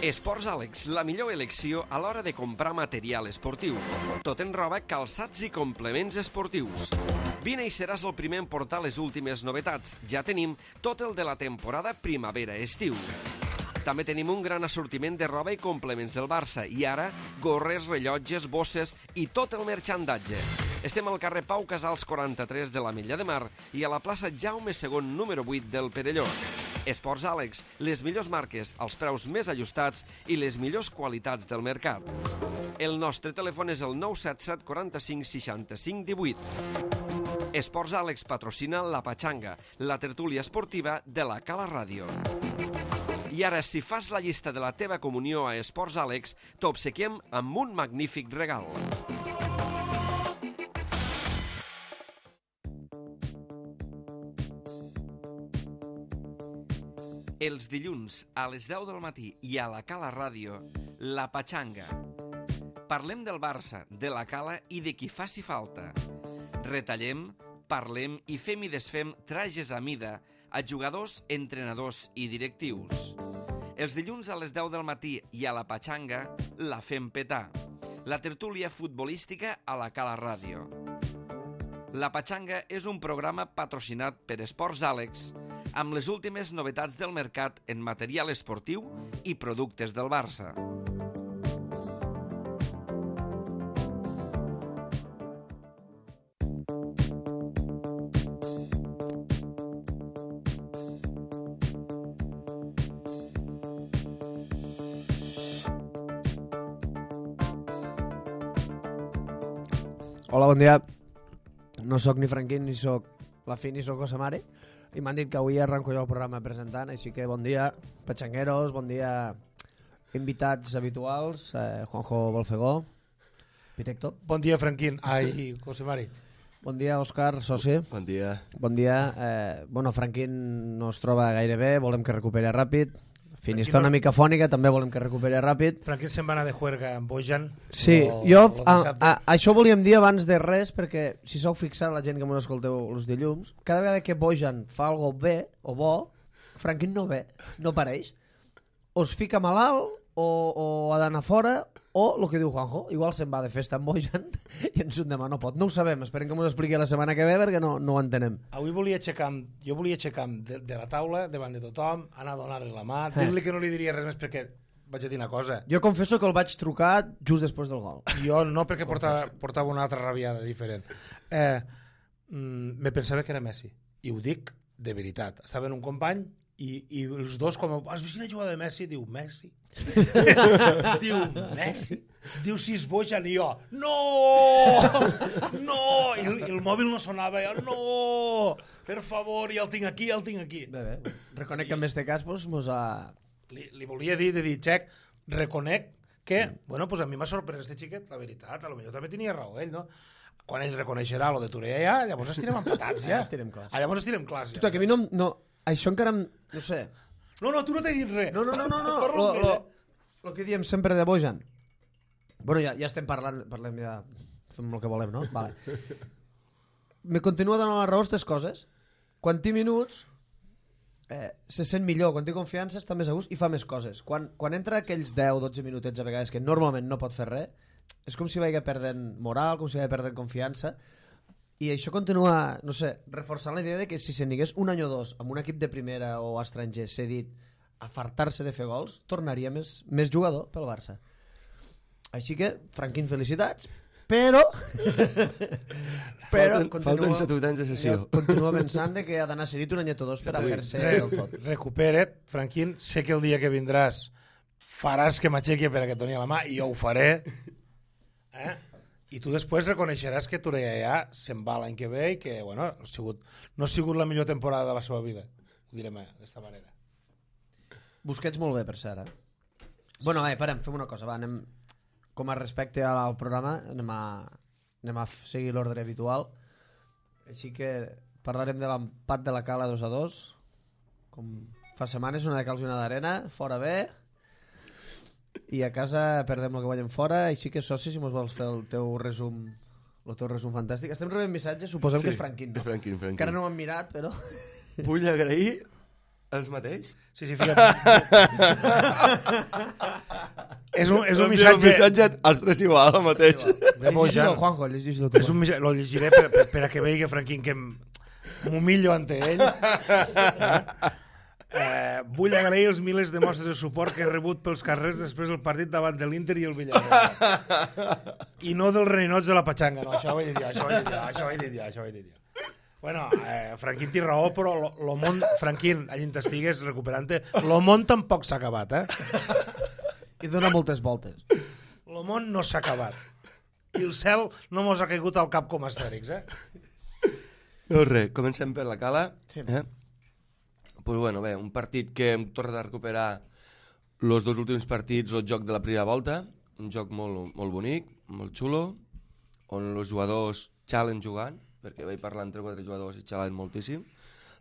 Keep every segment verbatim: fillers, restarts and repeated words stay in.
Esports Àlex, la millor elecció a l'hora de comprar material esportiu. Tot en roba, calçats i complements esportius. Vine i seràs el primer en portar les últimes novetats. Ja tenim tot el de la temporada primavera-estiu. També tenim un gran assortiment de roba i complements del Barça. I ara, gorres, rellotges, bosses i tot el merchandatge. Estem al carrer Pau Casals quaranta-tres de l'Ametlla de Mar i a la plaça Jaume segon número vuit del Perelló. Esports Àlex, les millors marques, els preus més ajustats i les millors qualitats del mercat. El nostre telèfon és el nou set set quaranta-cinc seixanta-cinc divuit. Esports Àlex patrocina La Pachanga, la tertúlia esportiva de la Cala Ràdio. I ara, si fas la llista de la teva comunió a Esports Àlex, t'obsequiem amb un magnífic regal. Els dilluns, a les deu del matí i a la Cala Ràdio, La Pachanga. Parlem del Barça, de la Cala i de qui faci falta. Retallem, parlem i fem i desfem trajes a mida a jugadors, entrenadors i directius. Els dilluns a les deu del matí i a La Pachanga la fem petar. La tertúlia futbolística a la Cala Ràdio. La Pachanga és un programa patrocinat per Esports Àlex amb les últimes novetats del mercat en material esportiu i productes del Barça. Hola, bon dia. No sóc ni Franquín, ni sóc la Fi, ni sóc José Mari. I m'han dit que avui arranco jo el programa presentant, així que bon dia, patxangueros, bon dia, invitats habituals, eh, Juanjo Bolfegó, Pitecto. Bon dia, Franquín. Ai, José Mari. Bon dia, Òscar, soci. Bon dia. Bon dia. Eh, bueno, Franquín no es troba gaire bé, volem que recuperi ràpid. Fin, està una mica fònica, també volem que recuperi ràpid. Franquín se'n va anar de juerga amb Bojan. Sí, o, jo a, a, això volíem dir abans de res, perquè si sou fixat, la gent que m'ho escolteu els dilluns, cada vegada que Bojan fa algo bé o bo, Franquín no ve, no apareix. O es fica malalt, o, o ha d'anar fora, o el que diu Juanjo, igual se'n va de festa amb Bojan i ens un demà no pot. No ho sabem, esperem que m'ho expliqui la setmana que ve perquè no, no ho entenem. Avui volia aixecar, jo volia aixecar de, de la taula davant de tothom, anar a donar-li la mà, eh. dir-li que no li diria res més perquè vaig a dir una cosa. Jo confesso que el vaig trucar just després del gol. Jo no, perquè portava, portava una altra rabiada diferent. Eh, mm, me pensava que era Messi, i ho dic de veritat. Estava en un company i, i els dos, com has vist la jugada de Messi? Diu, Messi? Diu, Messi? Diu, si és Bojan, i jo, no! No! I el, el mòbil no sonava, jo, no! Per favor, ja el tinc aquí, ja el tinc aquí. Bé, bé. Reconec que en este cas pues, mos ha... Li, li volia dir, de dir, Xec, reconec que, mm. bueno, pues a mi m'ha sorprès este xiquet, la veritat, a lo millor també tenia raó ell, no? Quan ell reconeixerà lo de Torea ja, llavors estirem empatats, ja. Estirem clars. Ah, llavors estirem clars, ja. Tu, que a mi no, no... Això encara... No sé... No, no, tu no t'he dit res. No, no, no, no, no. Lo, lo, lo que diem sempre de Bojan. Bueno, ja, ja estem parlant, parlem ja, fem el que volem, no? Vale. Me continua donant la raó aquestes coses. Quan té minuts, eh, se sent millor, quan té confiança està més a gust i fa més coses. Quan, quan entra aquells deu dotze minutets a vegades que normalment no pot fer res, és com si vagi perdent moral, com si vagi perdent confiança. I això continua, no sé, reforçant la idea de que si se n'hagués un any o dos amb un equip de primera o estranger cedit a fartar-se de fer gols, tornaria més, més jugador pel Barça. Així que, Franquín, felicitats, però... però falten, falten set anys de sessió. Continua pensant que ha d'anar cedit un anyet o dos per a fer-se del tot. Recupera't, Franquín, sé que el dia que vindràs faràs que m'aixequi per a que et doni la mà i jo ho faré. Eh? I tu després reconeixeràs que Torea ja se'n va l'any que ve i que, bueno, ha sigut, no ha sigut la millor temporada de la seva vida. Ho direm d'esta manera. Busquets molt bé, per cert, eh? Bueno, eh, parem, fem una cosa, va, anem... Com a respecte al programa, anem a, anem a seguir l'ordre habitual. Així que parlarem de l'empat de la Cala dos a dos. Com fa setmanes, una de calç i una d'arena, fora bé... I a casa perdem el que guanyem fora, així que soci, si mos vols fer el teu resum, el teu resum fantàstic. Estem rebent missatges, suposem sí, que és Franquín, no? Franquín, Franquín. Encara no m'han mirat, però... Vull agrair Els mateix? Sí, sí, fica't. és un, és un Un missatge... missatge als tres igual, el mateix. de boja. Llegeix-lo, Juanjo, llegeix-lo tu. És un missatge... Lo llegiré per, per, per a que vegi, Franquín, que m'humillo ante ell. Eh? Eh, vull agrair els milers de mostres de suport que he rebut pels carrers després del partit davant de l'Inter i el Villarreal. I no dels reninots de la Patxanga. No, això ho he de dir, això ho he de dir, això ho he de dir, això ho he de dir. Bueno, eh, Franquín té raó, però lo, lo món, Franquín, allà t'estigues recuperant-te, lo món tampoc s'ha acabat, eh? I dona moltes voltes. Lo món no s'ha acabat. I el cel no mos ha caigut al cap com a Astèrix, eh? Doncs res, comencem per la cala. Sí. Eh? Pues bueno, bé, un partit que hem tornat a recuperar els dos últims partits, el joc de la primera volta, un joc molt, molt bonic, molt xulo, on els jugadors xalen jugant, perquè vaig parlar entre quatre jugadors i xalen moltíssim.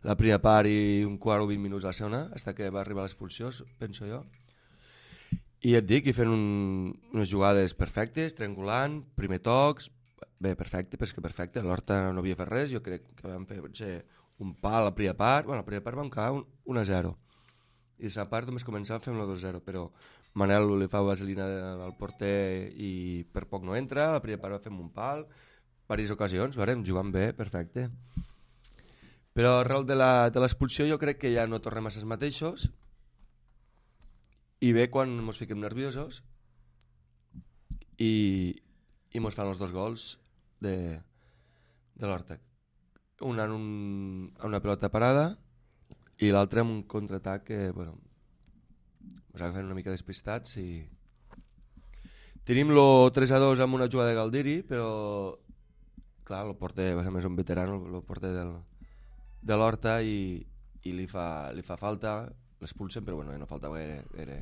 La primera part i un quart o vint minuts a la segona, fins que va arribar l'expulsió, penso jo. I et dic, i fent un, unes jugades perfectes, triangulant, primer tocs, bé, perfecte, però és que perfecte, l'Horta no havia fet res, jo crec que vam fer potser un pal a la primera part, bueno, a la primera part vam quedar un, un a zero. I a la part només començava a fer un dos a zero, però Manel li fa vaselina al porter i per poc no entra, a la primera part va fer un pal, diverses ocasions, varem, jugant bé, perfecte. Però arrel de l'expulsió jo crec que ja no tornem a ser els mateixos i bé quan ens fiquem nerviosos i, i ens fan els dos gols de, de l'Horta. Un en un, una pelota parada i l'altre en un contraatac que, bueno, ens agafen una mica despistats i tenim lo tres a dos amb una jugada de Galdiri, però clar, el porter, a més un veterano, el porter del, de l'Horta i, i li, fa, li fa falta, l'expulsen, però bueno, no falta gaire, era,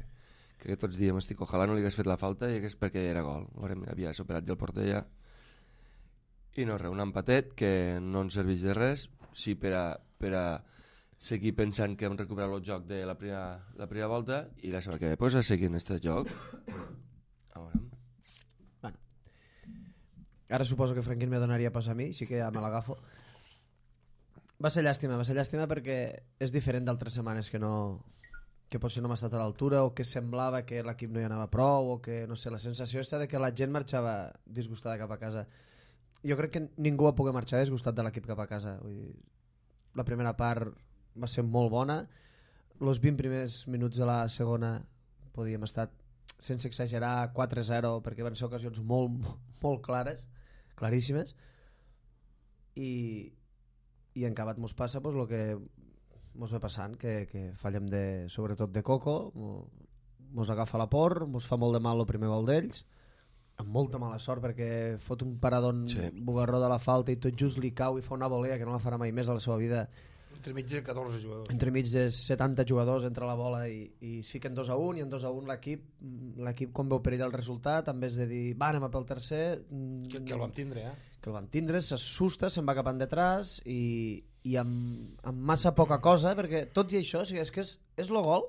que tots diem, estic, ojalà no li hagués fet la falta i és perquè era gol, havia superat ja el porter ja. I no res, un empatet que no ens serveix de res, sí per a, per a seguir pensant que hem recuperat el joc de la primera, la primera volta i la setmana que ve pues, a seguir en aquest joc. A veure. Bueno. Ara suposo que Franquín me donaria pas a mi, així que ja me l'agafo. Va ser llàstima, va ser llàstima perquè és diferent d'altres setmanes que no... que potser no m'ha estat a l'altura o que semblava que l'equip no hi anava prou o que, no sé, la sensació està de que la gent marxava disgustada cap a casa. Jo crec que ningú va poder marxar disgustat de l'equip cap a casa. Vull dir, la primera part va ser molt bona, els vint primers minuts de la segona podíem estar, sense exagerar, quatre a zero perquè van ser ocasions molt, molt clares, claríssimes, i, i en acabat mos passa pues, el que mos ve passant, que, que fallem de, sobretot de Coco, mos agafa la por, mos fa molt de mal el primer gol d'ells, amb molta mala sort perquè fot un paradón sí. bugarró de la falta i tot just li cau i fa una volea que no la farà mai més a la seva vida. Entre mig de catorze jugadors. Entre mig de setanta jugadors entra la bola i, i sí que en dos a un i en dos a un l'equip l'equip quan veu perill el resultat, en vez de dir va, anem a pel tercer, que, que el vam tindre, eh? que el vam tindre, s'assusta, se'n va cap endetrás i, i amb, amb massa poca cosa, perquè tot i això, o sigui, és que és, és el gol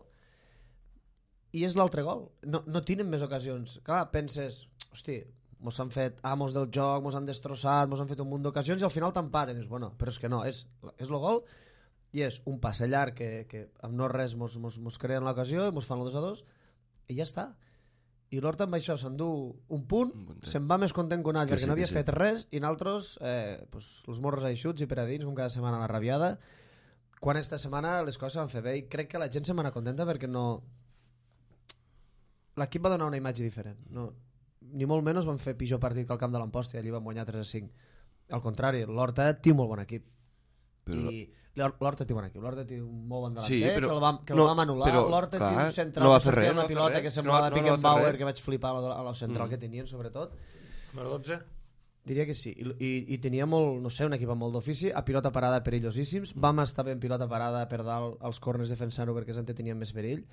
i és l'altre gol. No, no tenen més ocasions. Clar, penses, hosti, mos han fet amos del joc, mos han destrossat, mos han fet un munt d'ocasions i al final t'empaten. Dius, bueno, però és que no, és, és el gol i és un passe llarg que, que amb no res mos, mos, mos creen l'ocasió i mos fan el dos a dos i ja està. I l'Horta amb això s'endú un punt, se'n va més content que un altre perquè sí, no havia sí. fet res i nosaltres eh, pues, els morros aixuts i per a dins com cada setmana a la rabiada, quan esta setmana les coses van fer bé i crec que la gent se'n va anar contenta perquè no... l'equip va donar una imatge diferent, no, ni molt menys van fer pitjor partit que al camp de l'Amposta i allí van guanyar tres a cinc. Al contrari, l'Horta té molt bon equip però... i l'Horta té bon equip, l'Horta té un molt bon delanter sí, però... que el vam, que no, el vam anul·lar, l'Horta té un central no que sortia una no pilota res, que semblava no, no, Pickenbauer no que vaig flipar a la, a la central mm. que tenien sobretot. Número dotze? Diria que sí, I, i, i tenia molt, no sé, un equip amb molt d'ofici, a pilota parada perillosíssims, mm. vam estar ben pilota parada per dalt als corners defensant-ho perquè és on tenien més perill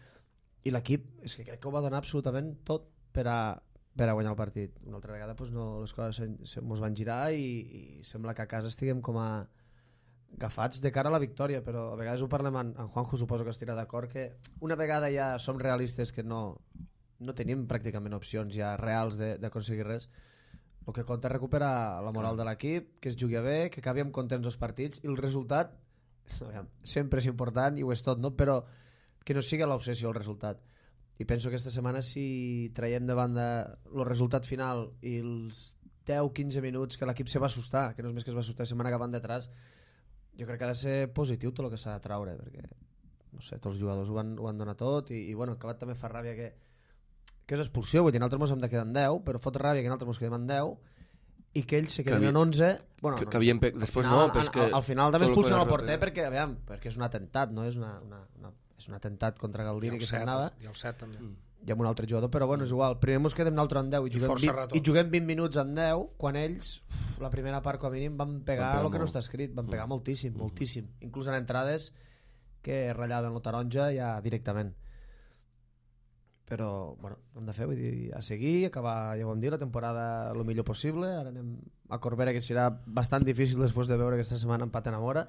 i l'equip, és que crec que ho va donar absolutament tot per a, per a guanyar el partit. Una altra vegada pues, no, les coses ens van girar i, i sembla que a casa estiguem com a agafats de cara a la victòria, però a vegades ho parlem en, en Juanjo, suposo que estirà d'acord que una vegada ja som realistes que no, no tenim pràcticament opcions ja reals d'aconseguir res, el que compta és recuperar la moral de l'equip, que es jugui bé, que acabi amb contents els partits i el resultat sempre és important i ho és tot, no? Però que no sigui l'obsessió el resultat. I penso que aquesta setmana si traiem de banda el resultat final i els deu quinze minuts que l'equip se va assustar, que no és més que es va assustar la setmana que van detrás, jo crec que ha de ser positiu tot el que s'ha de traure, perquè no sé, tots els jugadors ho van, ho van donar tot i, i bueno, acabat també fa ràbia que, que és expulsió, vull dir, nosaltres mos hem de quedar en deu, però fot ràbia que nosaltres mos quedem en deu i que ells se queden havia, en onze. Bueno, que, no, que havien pe... després al final, no, però és que... Al, al final també expulsen el porter que... perquè, aviam, perquè és un atemptat, no? És, una, una, una, és un atemptat contra Galdiri que se'n anava. I el set també. Mm. I amb un altre jugador, però bueno, és igual. Primer mos quedem nosaltres en deu i, I, juguem, vint, i juguem vint minuts en deu, quan ells, uf, la primera part com a mínim, van pegar el que no està escrit, van pegar mm. moltíssim, mm. moltíssim. Inclús en entrades que ratllaven la taronja ja directament. Però, bueno, hem de fer, vull dir, a seguir, acabar, ja ho vam dir, la temporada el millor possible. Ara anem a Corbera, que serà bastant difícil després de veure aquesta setmana empat en Amora.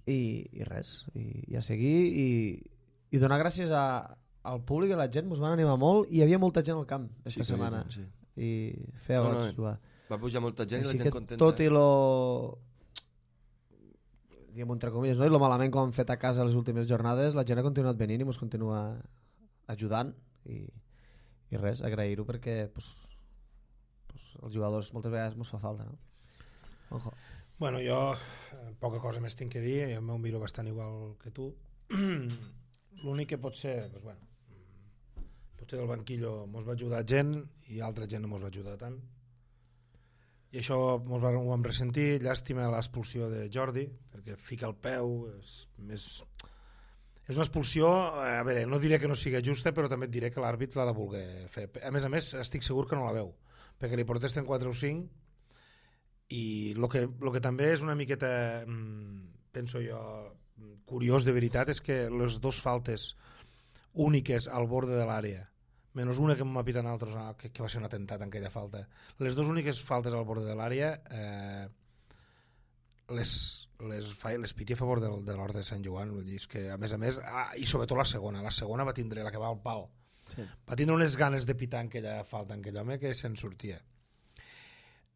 I, i res, i, i a seguir, i, i donar gràcies a, al públic i a la gent, mos van animar molt, i hi havia molta gent al camp aquesta sí, setmana. Gent, sí. I feia no, goig no, jugar. Va pujar molta gent Així i la gent que contenta. Tot i lo... diguem entre comilles, no? I lo malament que hem fet a casa les últimes jornades, la gent ha continuat venint i mos continua ajudant i, i res, agrair-ho perquè pues, pues, els jugadors moltes vegades mos fa falta, no? Ojo. Bueno, jo eh, poca cosa més tinc que dir, jo m'ho miro bastant igual que tu. L'únic que pot ser, pues, bueno, potser del banquillo mos va ajudar gent i altra gent no mos va ajudar tant. I això mos va, ho vam ressentir. Llàstima l'expulsió de Jordi, perquè fica el peu, és més... És una expulsió, a veure, no diré que no sigui justa, però també et diré que l'àrbit l'ha de voler fer. A més a més, estic segur que no la veu, perquè li protesten quatre o cinc, i el que, lo que també és una miqueta, penso jo, curiós de veritat, és que les dues faltes úniques al borde de l'àrea, menys una que m'ha pitat altres, que, que va ser un atemptat en aquella falta, les dues úniques faltes al borde de l'àrea eh, les, les, les piti a favor del, de l'Horta de Sant Joan. Vull dir, és que a més a més, ah, i sobretot la segona, la segona va tindre, la que va al pal, sí. Va tindre unes ganes de pitar en aquella falta, en aquell home, que se'n sortia.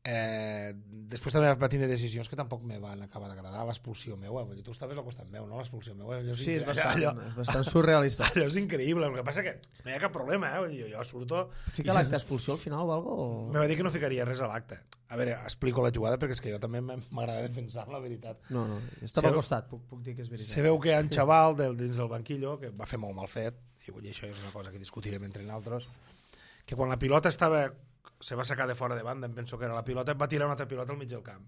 Eh, després també va tindre decisions que tampoc me van acabar d'agradar. L'expulsió meua, vull dir, tu estaves al costat meu, no? L'expulsió meua, allò és, sí, és, bastant, allò, és bastant surrealista. Allò és increïble, el que passa que no hi ha cap problema, eh? Jo, jo surto... Fica l'acte expulsió al final o algo? O... Me va dir que no ficaria res a l'acte. A veure, explico la jugada perquè és que jo també m'agrada defensar la veritat. No, no, estava al costat, puc, puc dir que és veritat. Se veu que hi ha un xaval del, dins del banquillo que va fer molt mal fet, i vull dir, això és una cosa que discutirem entre nosaltres, que quan la pilota estava... se va sacar de fora de banda, em penso que era la pilota, va tirar una altra pilota al mig del camp.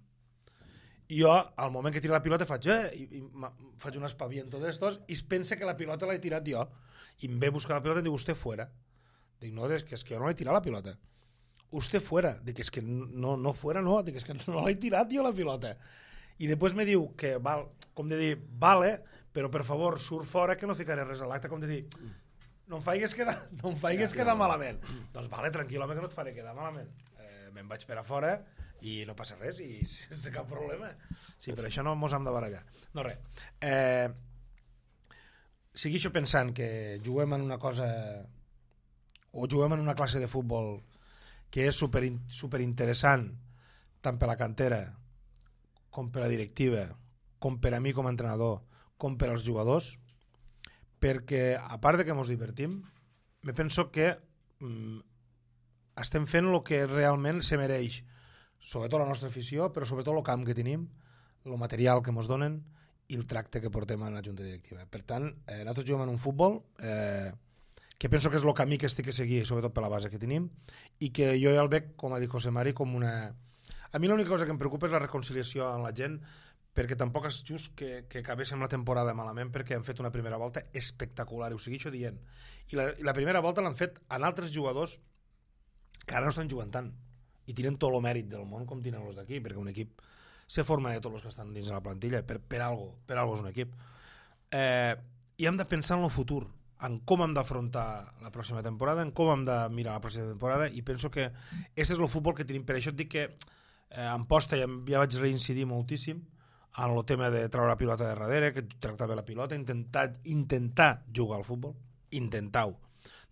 I jo, al moment que tira la pilota, faig, eh, i, i faig un espaviento d'estos, i es pensa que la pilota l'he tirat jo. I em ve a buscar la pilota i em diu, usted fuera. Dic, no, és que, és que jo no l'he tirat la pilota. Usted fuera. Dic, és que no, no fuera, no. Dic, és que no l'he tirat jo la pilota. I després me diu que, val, com de dir, vale, però per favor, surt fora que no ficaré res a l'acte, com de dir... no em faigues quedar, no em faigues quedar malament. Doncs vale, tranquil, home, que no et faré quedar malament. Eh, me'n vaig per a fora i no passa res, i sense cap problema. Sí, per això no mos hem de barallar. No, res. Eh, segueixo pensant que juguem en una cosa, o juguem en una classe de futbol que és super, super interessant, tant per la cantera, com per la directiva, com per a mi com a entrenador, com per als jugadors, perquè a part de que ens divertim, me penso que mm, estem fent el que realment se mereix, sobretot la nostra afició, però sobretot el camp que tenim, el material que ens donen i el tracte que portem a la junta directiva. Per tant, eh, nosaltres juguem en un futbol eh, que penso que és el camí que estic a seguir, sobretot per la base que tenim, i que jo ja el veig, com ha dit José Mari, com una... A mi l'única cosa que em preocupa és la reconciliació amb la gent, perquè tampoc és just que, que acabéssim la temporada malament, perquè han fet una primera volta espectacular, i ho segueixo dient. I la, i la primera volta l'han fet en altres jugadors que ara no estan jugant tant, i tiren tot el mèrit del món com tiren els d'aquí, perquè un equip se forma de tots els que estan dins de la plantilla, per, per algo, per algo és un equip. Eh, I hem de pensar en el futur, en com hem d'afrontar la pròxima temporada, en com hem de mirar la pròxima temporada, i penso que aquest és el futbol que tenim. Per això et dic que eh, en posta ja, ja vaig reincidir moltíssim en el tema de treure la pilota de darrere, que tractar bé la pilota, intentar, intentar jugar al futbol, intentar-ho.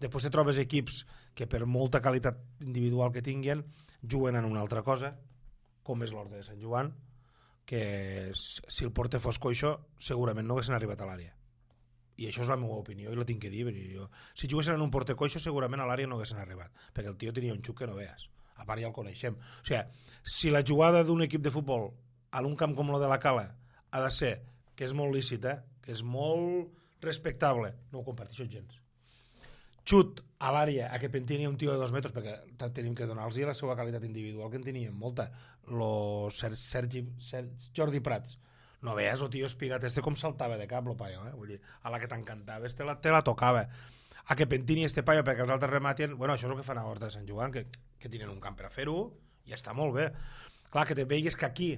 Després te trobes equips que per molta qualitat individual que tinguin juguen en una altra cosa, com és l'Horta de Sant Joan, que si el porter fos coixo segurament no haguessin arribat a l'àrea. I això és la meva opinió i la tinc que dir. Jo, si juguessin en un porter coixo segurament a l'àrea no haguessin arribat, perquè el tio tenia un xuc que no veas. A part ja el coneixem. O sigui, si la jugada d'un equip de futbol en un camp com el de la Cala ha de ser, que és molt lícita, que és molt respectable, no ho comparteixo gens. Xut a l'àrea a que pentini un tio de dos metres, perquè tenim que donar-los la seva qualitat individual, que en teníem molta. Lo Sergi, Sergi, Jordi Prats. No veies el tio espigat este com saltava de cap, lo paio, eh? Vull dir, a la que t'encantava, este la, te la tocava. A que pentini este paio perquè els altres rematen, bueno, això és el que fan a Horta de Sant Joan, que, que tenen un camp per a fer-ho, i està molt bé. Clar, que te veigues que aquí,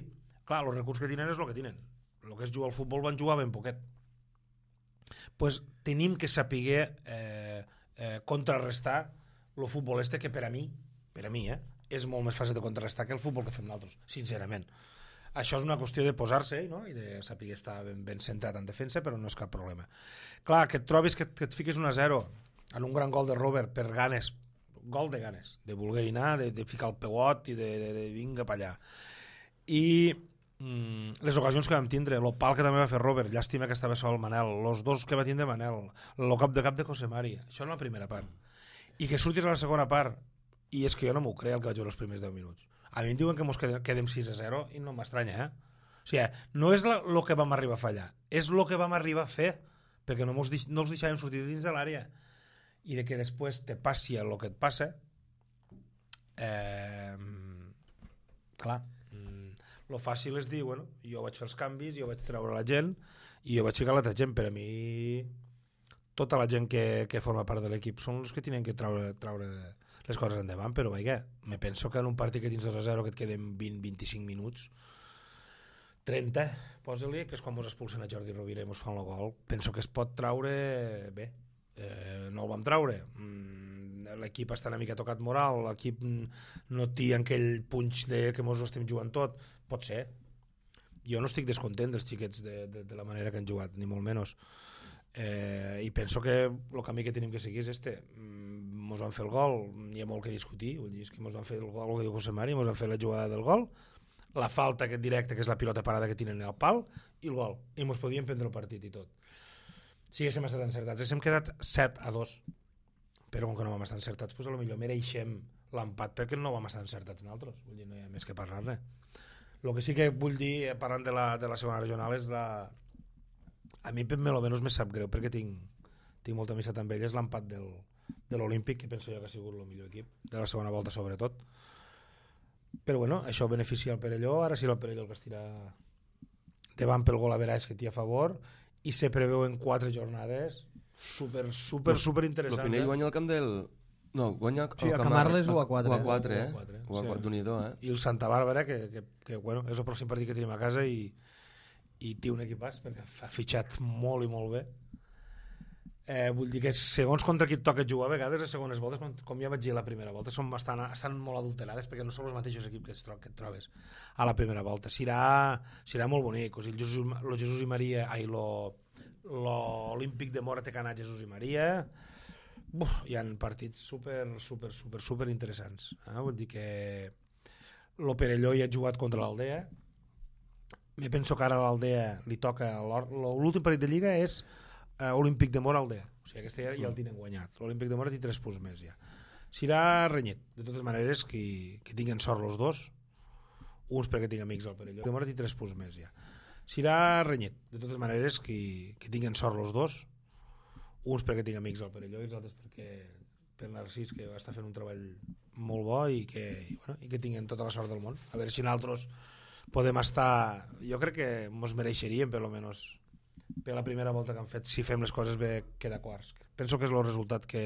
clar, els recursos que tenen és el que tenen. El que és jugar al futbol van jugar ben poquet. Pues tenim que saber eh, eh, contrarrestar el futbol este, que per a mi, per a mi, eh, és molt més fàcil de contrarrestar que el futbol que fem nosaltres, sincerament. Això és una qüestió de posar-se, no? I de saber estar ben, ben centrat en defensa, però no és cap problema. Clar, que et trobis que, que et fiques un a zero en un gran gol de Robert per ganes, gol de ganes, de voler anar, de, de ficar el peuot i de, de, de vinga pa allà. I mm, les ocasions que vam tindre, el pal que també va fer Robert, llàstima que estava sol Manel, els dos que va tindre Manel, el cap de cap de José Mari, això en la primera part. I que surtis a la segona part, i és que jo no m'ho crec el que vaig veure els primers deu minuts. A mi em diuen que mos quedem, quedem sis a zero i no m'estranya, eh? O sigui, no és el que vam arribar a fallar, és el que vam arribar a fer, perquè no, mos, no els deixàvem sortir dins de l'àrea. I de que després te passi el que et passa, eh, clar, lo fàcil és dir, bueno, jo vaig fer els canvis, jo vaig treure la gent i jo vaig ficar l'altra gent. Per a mi, tota la gent que, que forma part de l'equip són els que tenen que treure, treure les coses endavant, però vaja, me penso que en un partit que tens dos a zero, que et queden vint a vint-i-cinc minuts, trenta, posa-li, que és quan mos expulsen a Jordi Rovira i mos fan el gol, penso que es pot traure bé. Eh, no el vam traure. Mm, l'equip està una mica tocat moral, l'equip no té aquell punx de que mos ho estem jugant tot. Pot ser. Jo no estic descontent dels xiquets de, de, de la manera que han jugat, ni molt menys. Eh, I penso que el camí que tenim que seguir és este. Mos van fer el gol, hi ha molt que discutir, vull dir, és que mos van fer el gol, el que diu José Mari, mos van fer la jugada del gol, la falta aquest directe, que és la pilota parada que tenen al pal, i el gol. I mos podíem prendre el partit i tot. Si haguéssim estat encertats, haguéssim quedat set a dos, però com que no vam estar encertats, doncs potser mereixem l'empat perquè no vam estar encertats nosaltres, vull dir, no hi ha més que parlar-ne. El que sí que vull dir, parlant de la, de la segona regional, és la... A mi, per almenys, me sap greu, perquè tinc, tinc molta amistat amb ell, és l'empat del, de l'Olímpic, que penso jo que ha sigut el millor equip, de la segona volta sobretot. Però bueno, això beneficia el Perelló, ara sí el Perelló el que es tira davant pel gol a Veraix que té a favor, i se preveuen quatre jornades super, super, super interessants. El Pinell guanya el camp del... No, guanya el sí, camp Camarles u a quatre. U a quatre, eh? U a quatre, eh? Sí. D'un-hi-do, eh? I el Santa Bàrbara, que, que, que bueno, és el pròxim partit que tenim a casa i, i té un equipàs, perquè ha fitxat molt i molt bé. Eh, vull dir que segons contra qui et toca jugar, a vegades les segones voltes, com ja vaig dir a la primera volta, són bastant, estan molt adulterades perquè no són els mateixos equips que, es tro que et trobes a la primera volta. Serà, serà molt bonic. O sigui, el Jesús, lo Jesús i Maria, ai, lo, lo Olímpic de Mora té que anar Jesús i Maria. Uf, hi ha partits super, super, super, super interessants. Eh? Vull dir que lo Perelló hi ha jugat contra l'Aldea. Me penso que ara a l'Aldea li toca... L'últim partit de Lliga és Uh, Olímpic de Mora Aldea, o sigui, aquesta ja, ja el tenen guanyat. L'Olímpic de Mora té tres punts més ja. Serà renyit, de totes maneres, que, que tinguin sort els dos, uns perquè tinc amics al Perelló. De Mora té tres punts més ja. Serà renyit, de totes maneres, que, que tinguin sort els dos, uns perquè tinc amics al Perelló i els altres perquè per Narcís, que està fent un treball molt bo i que, i, bueno, i que tinguin tota la sort del món. A veure si nosaltres podem estar... Jo crec que ens mereixeríem, per almenys, per la primera volta que han fet, si fem les coses bé, queda quarts. Penso que és el resultat que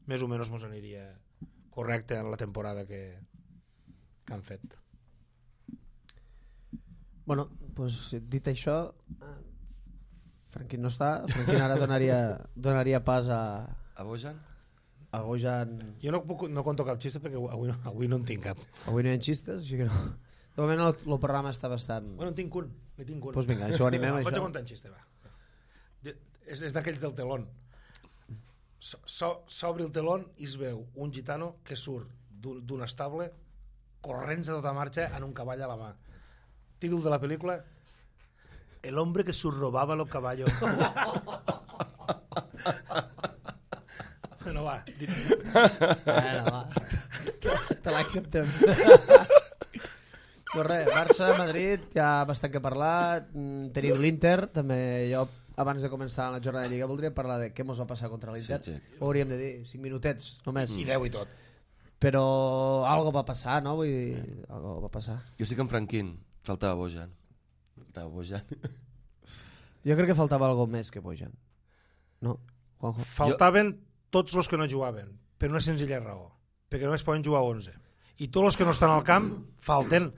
més o menys ens aniria correcte en la temporada que, que han fet. Bueno, pues, dit això, Franquín no està, Franquín ara donaria, donaria pas a... A Bojan? A Bojan... Jo no, puc, no conto cap xista perquè avui no, avui no en tinc cap. Avui no hi ha xistes, així que no... De moment el, el programa està bastant... Bueno, en tinc un. En tinc un. Pues vinga, això ho animem. Vaig a contar un xiste, va. De, és és d'aquells del telón. S'obre el telón i es veu un gitano que surt d'un estable corrents a tota marxa en un cavall a la mà. Títol de la pel·lícula: El hombre que subrobaba los caballos. Bueno, va. Bueno, va. Te l'acceptem. Doncs res, Barça, Madrid, ja bastant que parlar. Tenim l'Inter, també jo, abans de començar la jornada de Lliga, voldria parlar de què mos va passar contra l'Inter. Sí, sí. Ho hauríem de dir, cinc minutets, només. I deu i tot. Però algo va passar, no? Vull dir, algo va passar. Jo estic amb Franquín. Faltava Bojan. Faltava Bojan. Jo crec que faltava algo més que Bojan. No? Juanjo? Faltaven tots els que no jugaven, per una senzilla raó, perquè només poden jugar onze. I tots els que no estan al camp falten.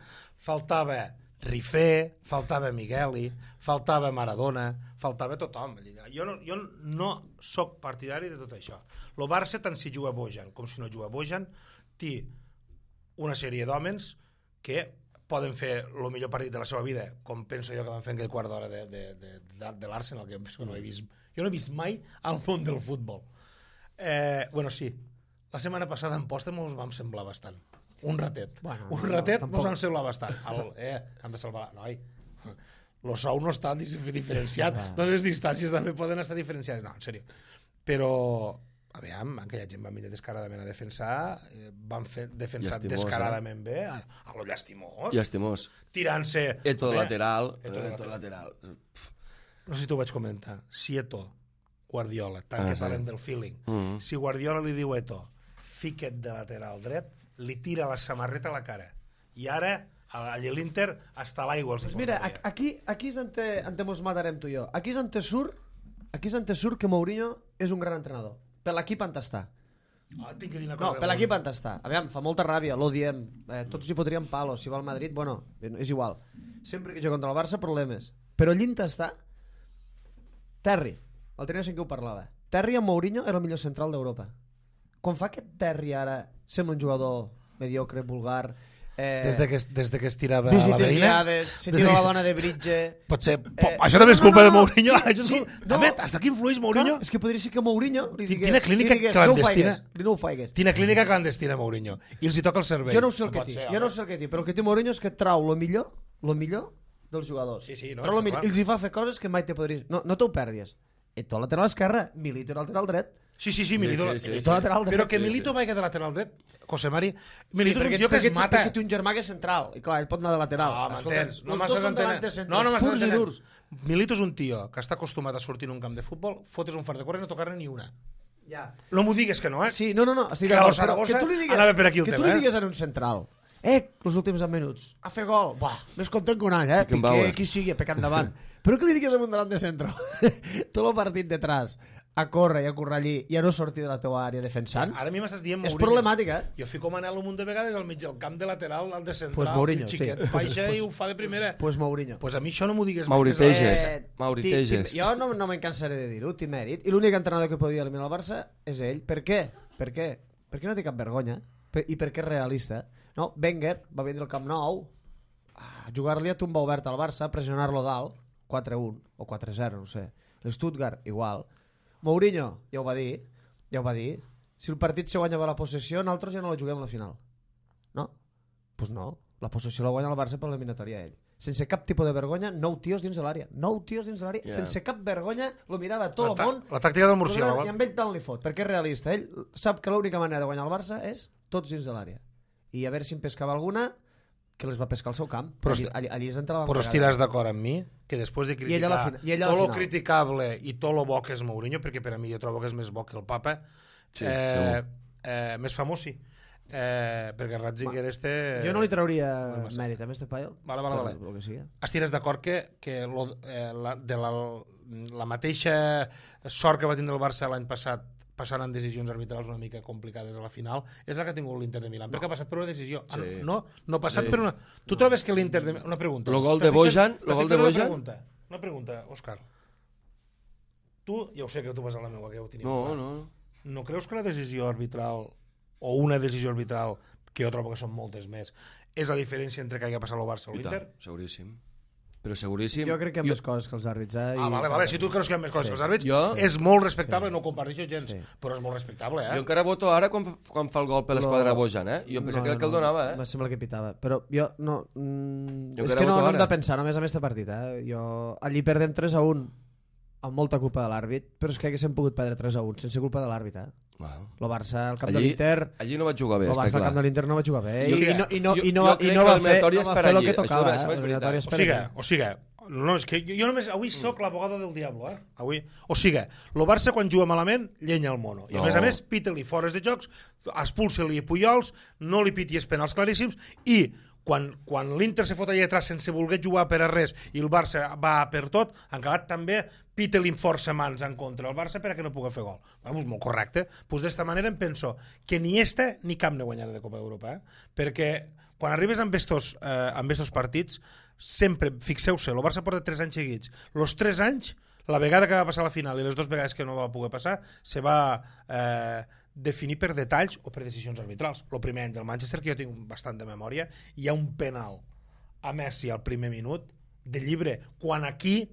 Faltava Rifé, faltava Migueli, faltava Maradona, faltava tothom. Jo no, jo no soc partidari de tot això. El Barça, tant si juga Bojan com si no juga Bojan, té una sèrie d'hòmens que poden fer el millor partit de la seva vida, com penso jo que van fer en aquell quart d'hora de, de, de, de, de l'Arsenal, que no he vist, jo no he vist mai al món del futbol. Eh, bueno, sí, la setmana passada en posta mos vam semblar bastant. Un ratet. Bueno, un ratet no, mos vam semblar bastant. El, eh, hem de salvar... Noi, el sou no està diferenciat. Doncs les distàncies també poden estar diferenciades. No, en sèrio. Però, a veure, aquella gent va venir descaradament a defensar, eh, van fer defensar Llastimós, descaradament eh? bé, a, a lo llastimós. Llastimós. Tirant-se... Eto bé, lateral. Eto, Eto lateral. lateral. No sé si t'ho vaig comentar. Si Eto, Guardiola, tant ah, que parlem sí. del feeling, mm -hmm. si Guardiola li diu Eto, fica't de lateral dret, li tira la samarreta a la cara. I ara, a l'Inter, hasta l'aigua els pues mira, aquí, aquí és on te, on te mos matarem tu i jo. Aquí és on te surt, aquí és on te surt que Mourinho és un gran entrenador. Per l'equip on està. Ah, tinc que dir una cosa. No, per l'equip on està. A veure, fa molta ràbia, l'odiem. Eh, tots hi fotríem palos. Si va al Madrid, bueno, és igual. Sempre que jo contra el Barça, problemes. Però allí on està, Terry, el tenia en què ho parlava. Terry amb Mourinho era el millor central d'Europa. Com fa que Terry ara sembla un jugador mediocre, vulgar, eh, des, de que, des de que es tirava a la veïna, guiades, se tira de... la dona de Bridge, potser, eh, això també és culpa no, no, de Mourinho. sí, sí, no, també, hasta aquí influeix Mourinho? Clar, és que podria ser que Mourinho li digués, Tina clínica li digués, clandestina. No ho faigues. Tina clínica clandestina Mourinho. I els hi toca el cervell. Jo no sé el no que té, ser, jo no sé el que té, però el que té Mourinho és que trau lo millor, lo millor dels jugadors. Sí, sí, no, trau lo millor, i els hi fa fer coses que mai te podries... No, no t'ho perdis. Eto lateral esquerra, Milito lateral dret. Sí, sí, sí, Milito, sí, sí, sí, Milito sí. lateral dret. Però que Sí, Milito sí. vagi de lateral dret, José Mari, Milito sí, és un tio que es mata. Perquè té un germà que és central, i clar, ell pot anar de lateral. No, m'entens? No els dos són delantes centrals. No, no m'estàs purs i durs. Milito és un tio que està acostumat a sortir en un camp de futbol, fotres un fart de córrer i no tocar-ne ni una. Ja. No m'ho digues que no, eh? Sí, no, no, no, estic Que d'acord, lo Saragossa però que tu li digues, anava per aquí el que tema, tu li eh? digues en un central, eh, els últims deu minuts, a fer gol, buah, més content que un any, eh, Beckenbauer. Piqué, qui sigui, pecat endavant. Però que li digues a un delant de centre, tot el partit detrás, a córrer i a currar allí i a no sortir de la teua àrea defensant, Ara a mi m'estàs dient és Mourinho. problemàtica, eh? Jo fico manant un munt de vegades al mig del camp de lateral, al de central, Pues Mourinho, el xiquet sí. baixa Pues- i ho fa de primera. Pues Mourinho. Pues a mi això no m'ho digues Mauri mai, que és- Teges. Eh, Mauri ti- Teges. ti- Jo no, no me'n cansaré de dir-ho, té mèrit. I l'únic entrenador que podia eliminar el Barça és ell. Per què? Per què? Perquè no té cap vergonya. Per, I perquè és realista. No? Wenger va vindre al Camp Nou a jugar-li a tumba oberta al Barça, pressionar-lo dalt, quatre un o quatre zero, no sé. L'Stuttgart, igual. Mourinho, ja ho va dir, ja ho va dir. Si el partit se guanyava la possessió, nosaltres ja no la juguem a la final. No? Doncs pues no. La possessió la guanya el Barça per l'eliminatòria ell. Sense cap tipus de vergonya, nou tios dins de l'àrea. Nou tios dins de l'àrea, Yeah. sense cap vergonya, lo mirava tot La, el món. ta- la tàctica del lo mirava, murciélago. I amb ell tant li fot, perquè és realista. Ell sap que l'única manera de guanyar el Barça és tots dins de l'àrea. I a veure si en pescava alguna, que les va pescar al seu camp. Però allí, esti- allí, allí és on te la van Però pegar. estiràs d'acord amb mi que després de I ella a la criticar fina- i ella a la tot lo final. criticable i tot lo bo que és Mourinho, perquè per a mi jo trobo que és més bo que el papa, Sí, eh, eh, més famós sí, eh, perquè Ratzinger este... Jo no li trauria Bueno, massa. mèrit a este paio. Vale, vale, per vale. lo que sigui. Estires d'acord que, que lo, eh, la, de la, la mateixa sort que va tindre el Barça l'any passat passant en decisions arbitrals una mica complicades a la final, és la que ha tingut l'Inter de Milà, no. perquè ha passat per una decisió. Ah, Sí. no, no ha passat Sí. per una... Tu trobes que l'Inter de... Una pregunta. Lo gol de T'estic Bojan, fent- lo gol t'estic de fent una Bojan. pregunta. Una pregunta, Òscar. Tu, ja ho sé que tu vas a la meva, que ja ho tenia No, clar. no. No creus que la decisió arbitral, o una decisió arbitral, que jo trobo que són moltes més, és la diferència entre que hagi passat el Barça o I l'Inter? tant, seguríssim. però seguríssim. Jo crec que hi ha més coses que els àrbits. Eh? Ah, vale, vale, si tu creus que hi ha més coses Sí. que els àrbits, Jo- és molt respectable, no ho comparteixo gens, Sí. però és molt respectable, eh? Jo encara voto ara quan, fa- quan fa el gol per l'esquadra Lo- Bojan, eh? Jo pensava que era el que el donava, eh? Em sembla que pitava. Però jo no... Mm, Jo és encara que no, voto no hem ara. de pensar només en este partit. Eh? Jo... Allí perdem tres a un amb molta culpa de l'àrbit, però és que haguéssim pogut perdre tres a un sense culpa de l'àrbit. Eh? Wow. El Barça al camp de Allí, l'Inter... allí no vaig jugar bé, El està Barça al clar. camp de l'Inter no va jugar bé. Jo- I, i, no, i, no, jo- i, no, jo i crec no que va el fer, meritori no és va per fer el allí. que Això tocava. és- això és Eh? El veritat. meritori és O per sigui, allí. o sigui, no, és que jo, jo només avui sóc l'abogado del diablo, eh? Avui. O sigui, el Barça quan juga malament llenya el mono. I a No. més a més pita-li fores de jocs, expulsa-li Pujols, no li pitis penals claríssims i quan, quan l'Inter se fot allà atrás sense voler jugar per a res i el Barça va per tot, en acabat també pita-li força mans en contra el Barça perquè no pugui fer gol. Bueno, pues molt correcte. Pues d'esta manera em penso que ni este ni cap no guanyarà de Copa d'Europa, eh? Perquè quan arribes amb estos, eh, amb estos partits, sempre, fixeu-se, el Barça porta tres anys seguits. Los tres anys, la vegada que va passar a la final i les dues vegades que no va poder passar, se va eh, definir per detalls o per decisions arbitrals. El primer any del Manchester, que jo tinc bastant de memòria, hi ha un penal a Messi al primer minut de llibre, quan aquí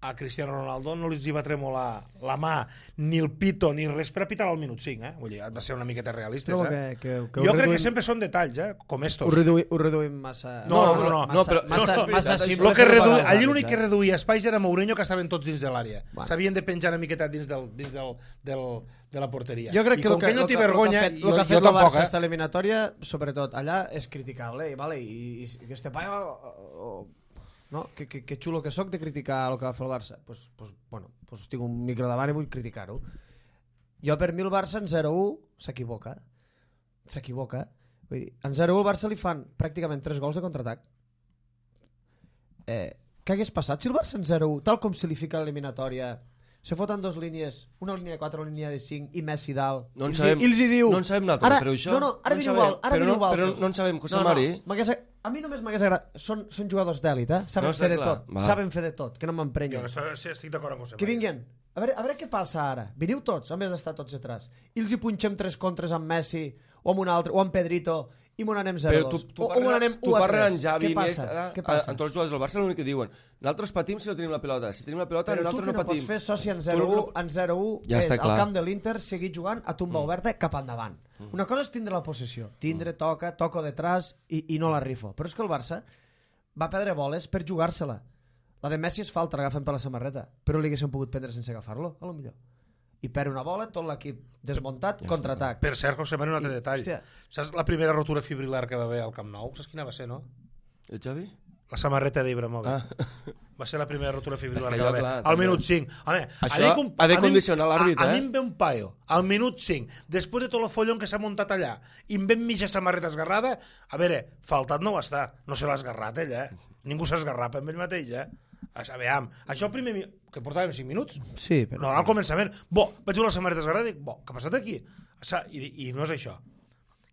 a Cristiano Ronaldo no li va tremolar la mà, ni el pito, ni res per apitar al minut cinc, eh? Vull dir, han de ser una miqueta realistes, Trobo eh? que, que, que Jo ho crec reduïm- que sempre són detalls, eh? Com estos. Ho reduïm, ho reduïm massa... No, no, no, no, però- Massa, no, no, massa, és massa veritat, simple Lo que fer-ho redu... pagar als Allí l'únic que àrbits, eh? reduïa espais era Mourinho, que estaven tots dins de l'àrea. Bueno. S'havien de penjar una miqueta dins, del, dins del, del, de la porteria. Jo crec I que com el que, que ell no el té que, vergonya, el que ha fet, jo, el que ha jo fet el tampoc, Barça eh? esta eliminatòria, sobretot allà, és criticable. I, vale, i, i que este paio... O, no? Que, que, que xulo que sóc de criticar el que va fer el Barça. Pues, pues, bueno, pues tinc un micro davant i vull criticar-ho. Jo, per mi, el Barça en zero u s'equivoca. S'equivoca. Vull dir, en zero u el Barça li fan pràcticament tres gols de contraatac. Eh, què hagués passat si el Barça en zero u, tal com se li fica l'eliminatòria, se foten dos línies, una línia de quatre, una línia de cinc i Messi dalt, No en i, els, sabem- i els hi diu... no en sabem nosaltres, ara, però això- No, no, ara no en veniu sabem, val, ara però veniu no- val. però no en sabem, José Mari. m'hagués- a mi només m'hagués agradat... Són, són jugadors d'èlit, eh? Saben No, està fer de clar, tot. va. Saben fer de tot, que no Jo m'emprenyen. no estic, sí, estic d'acord amb vostè. Que vinguin. A veure, a veure què passa ara. Veniu tots, en vez d'estar tots atrás. I els hi punxem tres contres amb Messi, o amb un altre, o amb Pedrito, i m'ho n'anem zero Però a tu, dos. tu, O, o m'ho parles, n'anem tu u a parles tres. amb Javi, Què passa? Iniesta, Què a, passa? amb tots els jugadors del Barça l'únic que diuen nosaltres patim si no tenim la pilota, si tenim la pilota Però tu nosaltres que no no patim. pots fer soci en Tu zero u, no- en zero u Ja és està al clar. camp de l'Inter seguir jugant a tumba Mm. oberta cap endavant. Una cosa és tindre la possessió. Tindre, Mm. toca, toco detrás i, i no la rifo. Però és que el Barça va perdre boles per jugar-se-la. La de Messi és falta, l'agafen per la samarreta. Però li haguessin pogut prendre sense agafar-lo, a lo millor. I perd una bola, tot l'equip desmuntat, Ja contraatac. Per cert, José Manuel, un altre I, detall. hòstia. Saps la primera rotura fibrilar que va haver al Camp Nou? Saps quina va ser, no? El Xavi? La samarreta d'Ibrahimovic. Ah. Va ser la primera rotura fibrilar És que que va allò, haver. clar, Al també. minut cinc. Home, Això allà com- ha de a mi- condicionar l'àrbit, a, a eh? mi em ve un paio, al minut cinc, després de tot el follon que s'ha muntat allà, i em ve mitja samarreta esgarrada, a veure, faltat no va estar. No se l'ha esgarrat, ell, eh? Ningú s'ha esgarrat amb ell mateix, eh? A veure, això el primer... mi- que portàvem cinc minuts? Sí, però... No, al començament. Bo, vaig veure la samarreta esgarrada i dic, bo, què ha passat aquí? I, i no és això.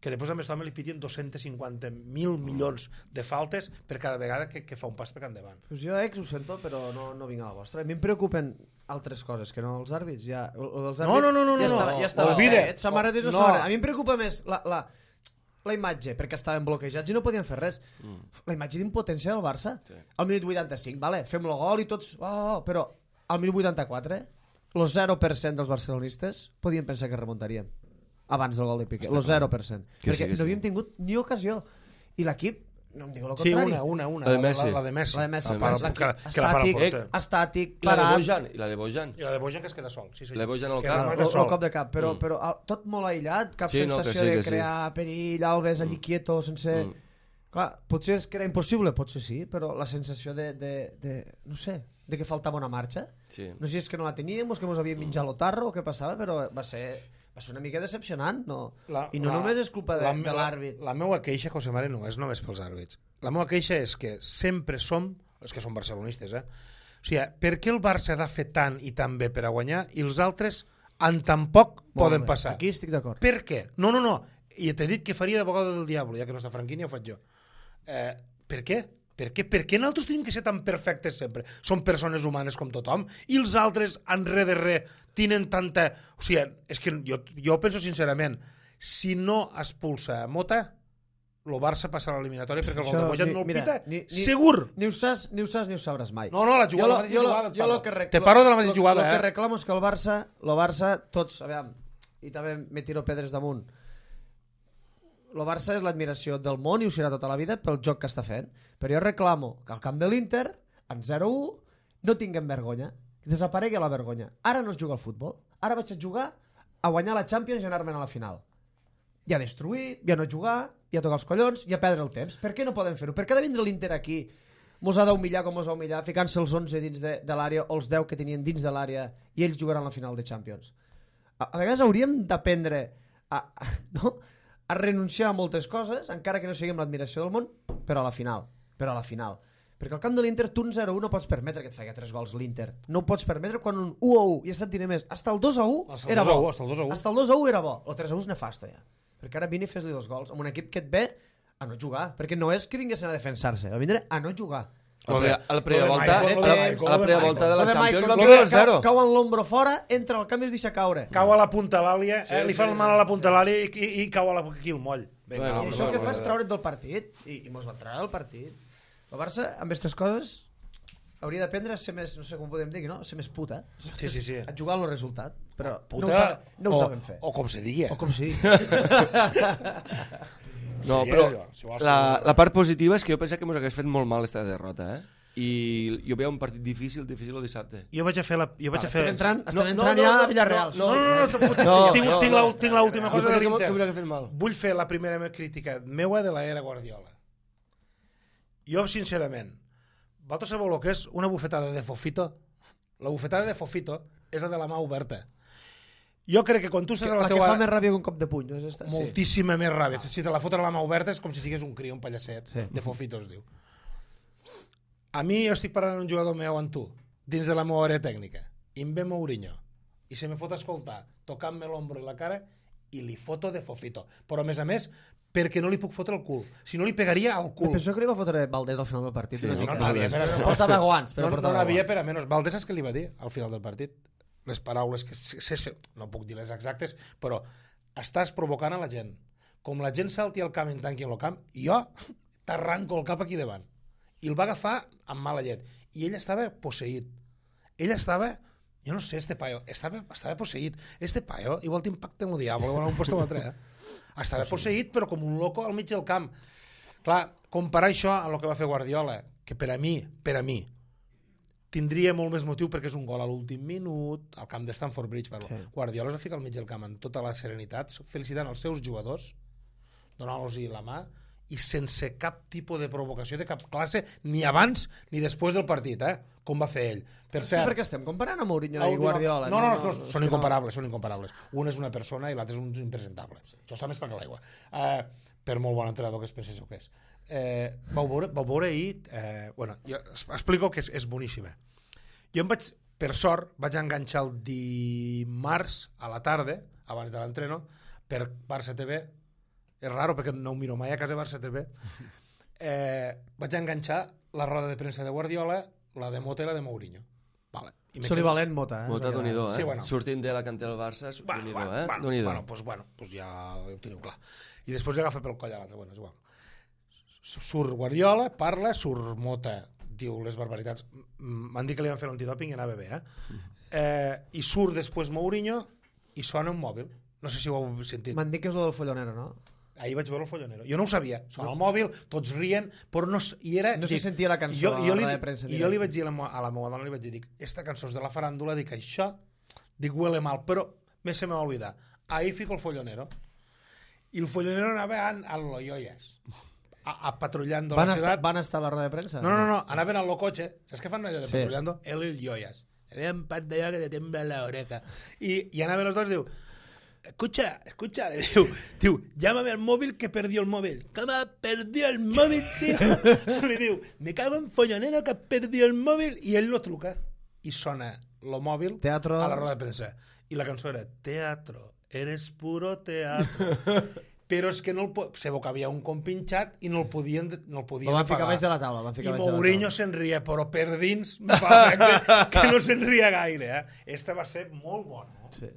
Que després a més també li pitien dos-cents cinquanta mil milions de faltes per cada vegada que, que fa un pas per endavant. Pues jo, ex, ho sento, però no, no vinc a la vostra. A mi em preocupen altres coses, que no els àrbits. Ja, o, o dels No, àrbits, no, no, no, ja no, estava, no. ja estava Olvida. fet, samarretes no, No. no. A mi em preocupa més la, la, la imatge, perquè estaven bloquejats i no podien fer res. Mm. La imatge d'impotència del Barça. Sí. Al minut vuitanta-cinc, vale, fem el gol i tots... Oh, oh, però al minut vuitanta-quatre, el zero per cent dels barcelonistes podien pensar que remuntaríem abans del gol de Piqué, el zero per cent. Que sí, Perquè que sí. no havíem tingut ni ocasió. I l'equip, no em diu el Sí, contrari. una, una, una. La de Messi. La, la de Messi. La de Messi. La para- L'equip que, que la para al estàtic, porter. estàtic, I la de parat. Bojan, i la de Bojan. I la de Bojan que es queda sol. Sí, sí. La de Bojan al Que cap. remata el, sol. el cop de cap, però, Mm. però el, tot molt aïllat, cap Sí, no, que sensació sí, que de sí. crear perill, Alves allí quieto, sense... Mm. Clar, potser és que era impossible, potser sí, però la sensació de, de, de no sé, de que faltava una marxa, Sí. no sé si és que no la teníem o és que ens havíem menjat l'otarro o què passava, però va ser, va ser una mica decepcionant, no? La- I no la- només és culpa de, la- de l'àrbit. La, la meua queixa, José Mare, no és només pels àrbits. La meua queixa és que sempre som, els que som barcelonistes, eh? O sigui, per què el Barça ha de fer tant i tan bé per a guanyar i els altres en tan poc Molt poden bé, passar? Aquí estic d'acord. Per què? No, no, no. I t'he dit que faria d'abogado del diablo, ja que no està Franquini, ja ho faig jo. Eh, per què? Per què? Per què nosaltres tenim que ser tan perfectes sempre? Som persones humanes com tothom i els altres, en res de res, tenen tanta... O sigui, és que jo, jo penso sincerament, si no expulsa Mota, el Barça passa a l'eliminatòria perquè el gol Això, de Bojan ni- no el mira, pita, ni- ni- segur! Ni ho saps, ni ho saps, ni ho sabràs mai. No, no, la jugada, Jo la lo- mateixa jo lo- jugada, et jo parlo. lo que rec- Te parlo de la mateixa lo- jugada, lo eh? que reclamo és que el Barça, el Barça, tots, aviam, i també me tiro pedres damunt, el Barça és l'admiració del món i ho serà tota la vida pel joc que està fent. Però jo reclamo que al camp de l'Inter, en zero a u, no tinguem vergonya. Que desaparegui la vergonya. Ara no es juga al futbol. Ara vaig a jugar a guanyar la Champions i anar-me'n a la final. I a destruir, i a no jugar, i a tocar els collons, i a perdre el temps. Per què no podem fer-ho? Per què ha de vindre l'Inter aquí, mos ha d'humillar com mos ha humillat, ficant-se els onze dins de, de l'àrea o els deu que tenien dins de l'àrea i ells jugaran la final de Champions? A, a vegades hauríem d'aprendre a, a, no? a renunciar a moltes coses, encara que no siguem l'admiració del món, però a la final. Però a la final. Perquè al camp de l'Inter tu un zero a u no pots permetre que et faci tres gols l'Inter. No ho pots permetre quan un u a u, ja se't diré més, hasta el dos a u Hasta el era dos a u, bo. hasta el dos a u. Hasta el dos a u era bo. El tres a u és nefasto ja. Perquè ara vine i fes-li dos gols amb un equip que et ve a no jugar. Perquè no és que vinguessin a defensar-se, va vindre a no jugar. A la, a la primera lo de volta, Michael, a lo la, de a Michael, la primera volta de la Lo de Champions Michael, van que fer dos zero. cau, cau en l'ombro fora, entra al camp i es deixa caure. Cau a la punta l'àlia, Sí, eh? li sí, fan mal a la punta sí. l'àlia i, i, i cau a la, aquí el moll. Vinga, Bueno, I home, això va, que va, fa és va. traure't del partit. I, i mos va treure del partit. El Barça, amb aquestes coses, hauria d'aprendre a ser més, no sé com podem dir, no? A ser més puta. Sí, sí, sí. A jugar al resultat. Però Puta, no ho, saben, no ho o, saben fer. O com se digui. O com si. No, Sí, però és, si vols, la, sí. la part positiva és que jo pensava que ens hagués fet molt mal esta derrota, eh? I jo veia un partit difícil, difícil el dissabte. Jo vaig a fer la... Jo vaig Vale, a fer... estem entrant, estem No, no, entrant no, ja no, a Villarreal. No, no, no, no, no, No, tinc, no, tinc, no. la, tinc l'última Jo cosa de pensava que l'Inter. m'hauria fet mal. Vull fer la primera crítica meua de l'era Guardiola. Jo, sincerament, vosaltres sabeu el que és una bufetada de Fofito? La bufetada de Fofito és la de la mà oberta. Jo crec que quan tu estàs a la, La que teua... fa més ràbia que un cop de puny, no és esta? Moltíssima més ràbia. Si te la foten a la mà oberta és com si sigués un crio, un pallasset. Sí. De Fofito es diu. A mi jo estic parlant amb un jugador meu amb tu, dins de la meva àrea tècnica, i em ve Mourinho, i se me fot a escoltar, tocant-me l'ombro i la cara, i li foto de Fofito. Però a més a més, perquè no li puc fotre el cul. Si no li pegaria al cul. Penso que li va fotre Valdés al final del partit. Sí, una no, mica. no n'havia per a menys. Portava guants, però no, no portava n'havia guants. per a menys. Valdés saps què li va dir al final del partit? Les paraules que se, se, se, no puc dir les exactes, però estàs provocant a la gent. Com la gent salti al camp i en tanqui el camp, jo t'arranco el cap aquí davant. I el va agafar amb mala llet. I ell estava posseït. Ell estava, jo no sé, este paio, estava, estava posseït. Este paio, igual t'impacta amb el diable, bueno, un puesto o altre, eh? Estava posseït, però com un loco al mig del camp. Clar, comparar això amb el que va fer Guardiola, que per a mi, per a mi, tindria molt més motiu perquè és un gol a l'últim minut, al camp de Stamford Bridge, parlo. Sí. Guardiola es va ficar al mig del camp amb tota la serenitat, felicitant els seus jugadors, donant-los-hi la mà, i sense cap tipus de provocació de cap classe, ni abans ni després del partit, eh? Com va fer ell. Per Sí, cert, perquè estem comparant a Mourinho a i última- Guardiola. No, no, no, no, és són que incomparables, són incomparables. Un és una persona i l'altre és un impresentable. Això està més per que l'aigua. Eh, per molt bon entrenador que es penséssiu que és. Eh, vau, veure, vau veure ahir... Eh, bueno, jo es- explico que és, és boníssima. Jo em vaig, per sort, vaig enganxar el dimarts a la tarda, abans de l'entreno, per Barça T V. És raro perquè no ho miro mai a casa Barça T V. Eh, vaig enganxar la roda de premsa de Guardiola, la de Mota i la de Mourinho. Vale. I me Soli quedo- valent Mota. Eh? Mota, Déu-n'hi-do, eh? Sí, bueno. Sortint de la cantera del Barça, Bueno, Déu-n'hi-do, bueno, eh? bueno, Déu-n'hi-do. bueno, pues, bueno, pues ja ho teniu clar. I després li agafa pel coll a l'altre, bueno, és igual. Surt Guardiola, parla, surt Mota, diu les barbaritats. M- M'han dit que li van fer l'antidoping i anava bé, eh? eh? I surt després Mourinho i sona un mòbil. No sé si ho heu sentit. M'han dit que és el del follonero, no? Ahir vaig veure el follonero. Jo no ho sabia. Sona el mòbil, tots rient, però no... s- I era, No se sentia la cançó jo, a jo la li, roda de premsa I directa. jo li vaig dir a la, mo- a la meva dona, li vaig dir, dic, esta cançó és de la faràndula, dic, això, dic, huele mal, però me se me va olvidar. Ahí fico el follonero. I el follonero anava a, a los yoyas, a, a patrullando Van la estar, ciutat. van estar a la roda de premsa? No, no, no, anaven al cotxe, saps què fan allò de Sí. patrullando? Él y el yoyas. Había un par de yoyas que te tembla la oreja. I, i anaven els dos i diu, escucha, escucha, le diu, diu, llámame al móvil que perdió el móvil. ¿Cómo perdió el móvil, tío? Le diu, me cago en follonero que perdió el móvil. I ell no truca. I sona el mòbil Teatro. a la roda de premsa. I la cançó era, teatro, eres puro teatro. Però és que no el po... se veu que havia un compinxat i no el podien, no el podien Lo van ficar apagar. baix de la taula. Van I ficar baix de la Mourinho taula. se'n ria, però per dins me fa efecte que no se'n ria gaire. Eh? Esta va ser molt bona. Eh? Sí.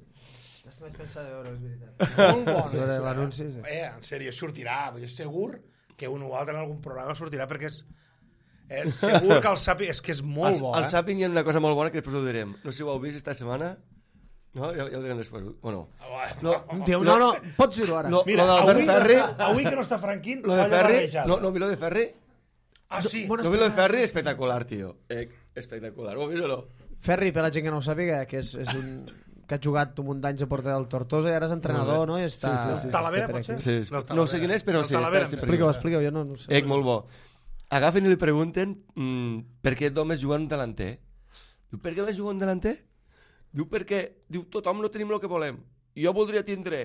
Aquesta vaig pensar de veure, és veritat. Molt bona. Veure esta, l'anunci, sí. Eh, en sèrio, sortirà. Vull dir, segur que un o altre en algun programa sortirà perquè és, és segur que el Sàping és que és molt el, bo, el eh? Sàping hi ha una cosa molt bona que després ho direm. No sé si ho heu vist esta setmana. No? Ja, ja ho direm després. O no? No, Diu, no, no, pots dir-ho ara. No, Mira, lo del avui, Ferri, avui que no està Franquín, lo de olla Ferri, barrejada. no, no, vi lo de Ferri? Ah, sí. Bona No vi lo de espera. Ferri? Espectacular, tio. Eh, espectacular. Ho has vist o no? Ferri, per la gent que no ho sàpiga, que és, és un que ha jugat un munt d'anys a porter del Tortosa i ara és entrenador, no? I està, Sí, sí, sí. Talavera, està per pot ser? aquí. Sí, sí. No, No sé quin és, però El sí. Talavera, Està sempre Explica-ho, aquí. explica-ho, jo no, no ho sé. Ec, molt bo. Agafen i li pregunten mm, per què d'homes juguen un delanter. Diu, per què més juguen un delanter? Diu, perquè diu, tothom no tenim el que volem. Jo voldria tindre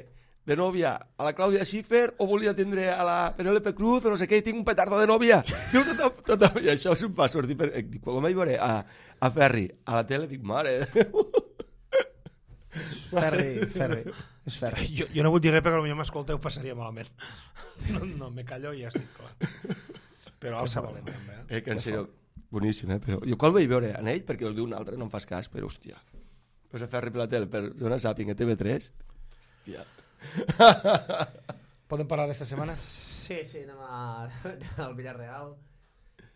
de nòvia a la Clàudia Schiffer o volia tindre a la Penélope Cruz o no sé què, i tinc un petardo de nòvia. Diu, tothom, tothom. I això és un pas sortir per... Dic, quan vaig veure a, a Ferri a la tele, dic, mare... Ferri, Ferri. És Ferri. Jo, jo no vull dir res perquè potser m'escolteu passaria malament. No, no, me callo i ja estic clar. Però alça valent, també. Eh? Eh, que en sèrio, boníssim, eh? Però jo quan vaig veure en ell, perquè us diu un altre, no em fas cas, però hòstia, vas a Ferri per la tele, per Zona Sàping a T V tres, hòstia. Podem parlar d'esta setmana? Sí, sí, anem a... al Villarreal.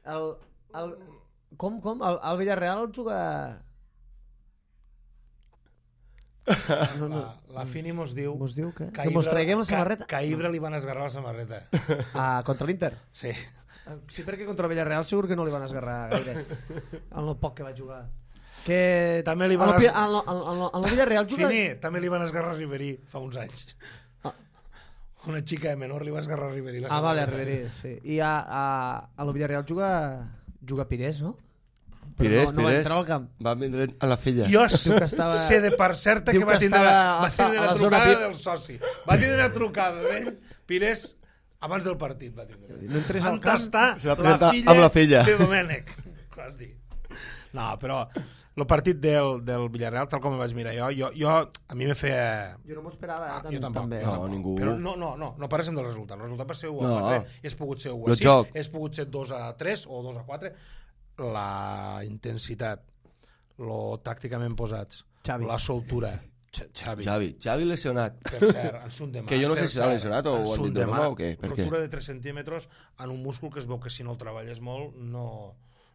El, el... Com, com? El, el Villarreal juga... No, no. La, la Fini mos diu... Mos diu que... que Que mos Ibra- traiguem la que- samarreta? Que a Ibra li van esgarrar la samarreta. Ah, contra l'Inter? Sí. Sí, perquè contra el Villarreal segur que no li van esgarrar gaire. En el poc que va jugar. Que... També li en van el, es- en, el, en, el, en el Villarreal juga... Fini, també li van esgarrar a Ribery fa uns anys. Ah. Una xica de menor li va esgarrar a Ribery. La Ah, vale, a samarreta. Ribery, sí. I a, a, a el Villarreal juga... Juga Pires, no? Però Pires, no, no va Pires, entrar al camp. va vindre a la filla. Jo Diu que estava- sé de per certa que diu va que tindre, estava va tindre a la la zona trucada V I P. del soci. Va tindre una trucada d'ell, Pires, abans del partit va tindre. No entres al Van camp. tastar Se va la presentar filla, amb la filla. de Domènec. Què has dit? No, però el partit del, del Villarreal, tal com el vaig mirar jo, jo, jo a mi me feia... Jo no m'ho esperava, eh, Ah, tant, jo tampoc, també. jo No, tampoc. ningú. Però no, no, no, no parlem del resultat. El resultat va ser u a No. quatre, és pogut ser u a El sis, joc. és pogut ser dos a tres o dos a quatre. La intensitat, lo tàcticament posats, Xavi. la soltura. X- Xavi. Xavi, Xavi lesionat. Per cert, en sunt de mà. Que jo no sé per si s'ha cert, lesionat o en ho han sunt dit de de broma mà, o què, per què? Rotura de tres centímetres en un múscul que es veu que si no el treballes molt no...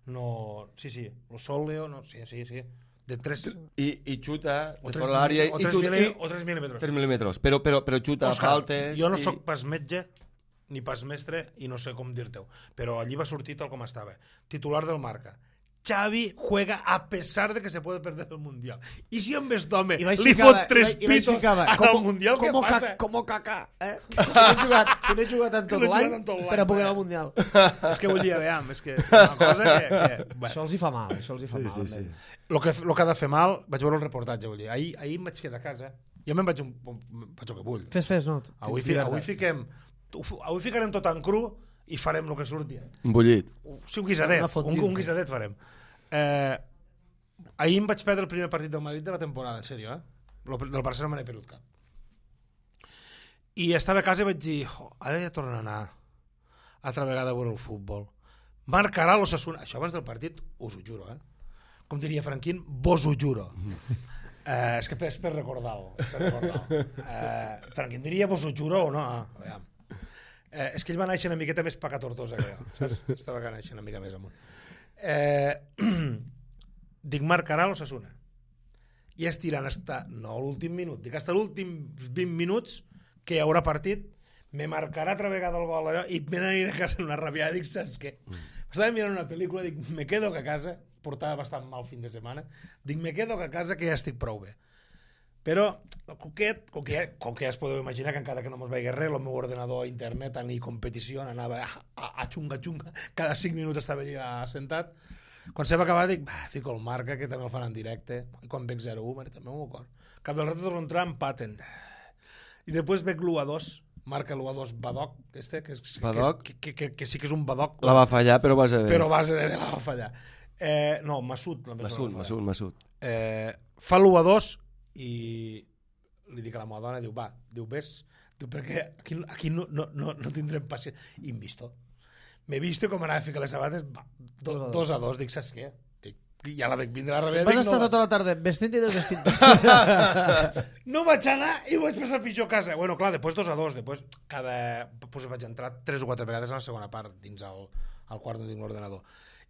no sí, sí, lo sòleo, no, sí, sí, sí. De tres... I, i xuta O de tres, fora l'àrea o i tres, xuta mil·li- i o tres mil·límetres. tres mil·límetres. Però, però, però xuta Òscar, faltes... jo no i... sóc pas metge ni pas mestre i no sé com dir-te-ho, però allí va sortir tal com estava. Titular del Marca. Xavi juega a pesar de que se puede perder el Mundial. I si en vez d'home I vaig li ficava- fot tres i vaig- i vaig pitos ficava, al como- Mundial, què como passa? ca- como Kaká, eh? Que no he jugat, que no he jugat en Que tot no he jugat l'any en tot l'any, per a poder eh? anar al Mundial. És que vull dir, veam, és que és una cosa que... que bé. Això els hi fa mal, això els hi fa Sí, mal. sí, amb sí. ell. Lo que, lo que ha de fer mal, vaig veure el reportatge, vull dir. Ahir, ahir em vaig quedar a casa, jo me'n vaig, un, faig el que vull. Fes, fes, no? Avui, Tens fi, avui, llibertat. fiquem, avui ficarem tot en cru i farem el que surti. Un bullit. Sí, un guisadet, Una fondue. un, un guisadet farem. Eh, ahir em vaig perdre el primer partit del Madrid de la temporada, en sèrio, eh? Lo, del Barcelona me n'he perdut cap. I estava a casa i vaig dir, oh, ara ja torno a anar altra vegada a veure el futbol. Marcarà l'Osasuna. Això abans del partit, us ho juro, eh? Com diria Franquín, vos ho juro. Eh, és que és per recordar-ho. És per recordar-ho. Eh, Franquín diria vos ho juro o no? Ah, aviam. Eh, és que ell va néixer una miqueta més paca tortosa que jo, saps? Estava que néixer una mica més amunt. Eh, dic, marcarà l'Osasuna. I estirant hasta, no l'últim minut, dic, hasta l'últim vint minuts que hi haurà partit, me marcarà altra vegada el gol allò, i me n'aniré a casa en una rabiada, dic, saps què? Estava mirant una pel·lícula, dic, me quedo a casa, portava bastant mal fin de setmana, dic, me quedo a casa que ja estic prou bé. Però, el coquet, com que, ja, com que ja es podeu imaginar que encara que no mos veia res, el meu ordenador, internet, ni competició, anava a, a, a xunga, xunga, cada cinc minuts estava allà sentat. Quan se va acabar dic, bah, fico el Marca, que també el fan en directe, i quan veig zero u, mare, també m'ho acord. Cap del rato torno a entrar, empaten. I després veig l'u a dos, marca l'u a dos Badoc, que, este, que, és, Badoc? que, que, que, que sí que és un Badoc, La va fallar, però vas a veure. però a base de bé la va fallar. Eh, no, Masud. la més Masud, la va fallar. Masud, Masud. Eh, fa l'u a dos i li dic a la meva dona, diu, va, diu, ves, diu, perquè aquí, aquí no, no, no, no tindrem paciència. I em visto. M'he vist com anava a ficar les sabates, va, do, Dos a dos. dos a dos, dic, saps què? Dic, ja la veig vindre a darrere. Vas dic, estar no, tota la tarda vestint i desvestint. no vaig anar i vaig passar pitjor a casa. Bueno, clar, després dos a dos, després cada... Pues vaig entrar tres o quatre vegades a la segona part dins el, el quart no tinc l'ordenador.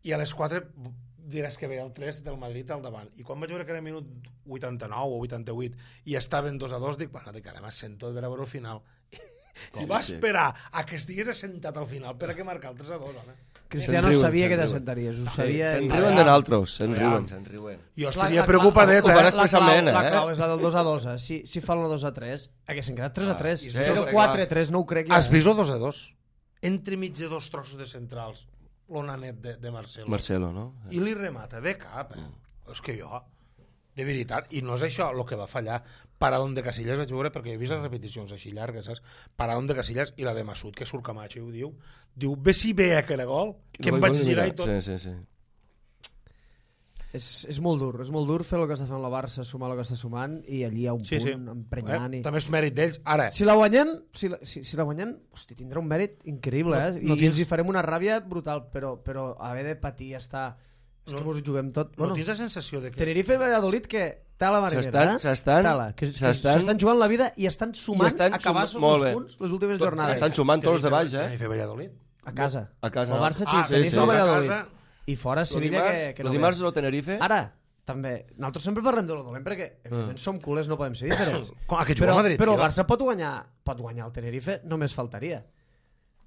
I a les quatre diràs que ve el tres del Madrid al davant. I quan vaig veure que era minut vuitanta-nou o vuitanta-vuit i estaven dos a dos, dic, bueno, dic, ara m'assento de veure el final. Com I va esperar a que estigués assentat al final per a que marcar el tres a dos, home. Cristiano sabia que t'assentaries, ho sabia. Se'n riuen de nosaltres, se'n riuen, se'n riuen. Jo estaria preocupadet, eh? Ho fan La expressament, clau, eh? la clau és la del dos a dos, eh? Si, si fan el dos a tres, haguessin quedat tres a tres. Ah, Sí, el quatre a tres no ho crec jo. Has vist el dos a dos? Entre mig de dos trossos de centrals, l'onanet de, de Marcelo. Marcelo, no? I li remata de cap, eh? És que jo, de veritat, i no és això el que va fallar. Paradón de Casillas vaig veure, perquè he vist les repeticions així llargues, saps? Paradón de Casillas i la de Masud, que surt Camacho i ho diu. Diu, ve si ve aquell gol, que em vaig girar i tot. Sí, sí, sí. És, és molt dur, és molt dur fer el que està fent la Barça, sumar el que està sumant, i allí hi ha un Sí, punt sí. emprenyant. Eh? I... També és mèrit d'ells. Ara, Si la guanyem, si la, si, si la guanyem, hosti, tindrà un mèrit increïble, No- eh? no I tens- ens hi farem una ràbia brutal, però, però haver de patir estar... És No- que mos ho juguem tot. no tens la sensació de que... Tenerife i Valladolid, que tala marinera, S'estan- eh? s'estan- Tala, que, que s'estan- s'estan jugant la vida i estan sumant estan a acabar sum- els molt bé. punts les últimes jornades. Estan sumant tots de baix, eh? Tenerife Valladolid. A casa. A casa, El no? Barça Ah, té sí, sí. Tenerife i Valladolid. A casa- I fora Lo Sevilla dimarts, que, que lo no dimarts ve. el Tenerife... Ara, també, nosaltres sempre parlem de lo dolent perquè evidentment som culers, no podem ser diferents. Com, a que juga però, a Madrid, però el tio. Barça pot guanyar, pot guanyar el Tenerife, només faltaria.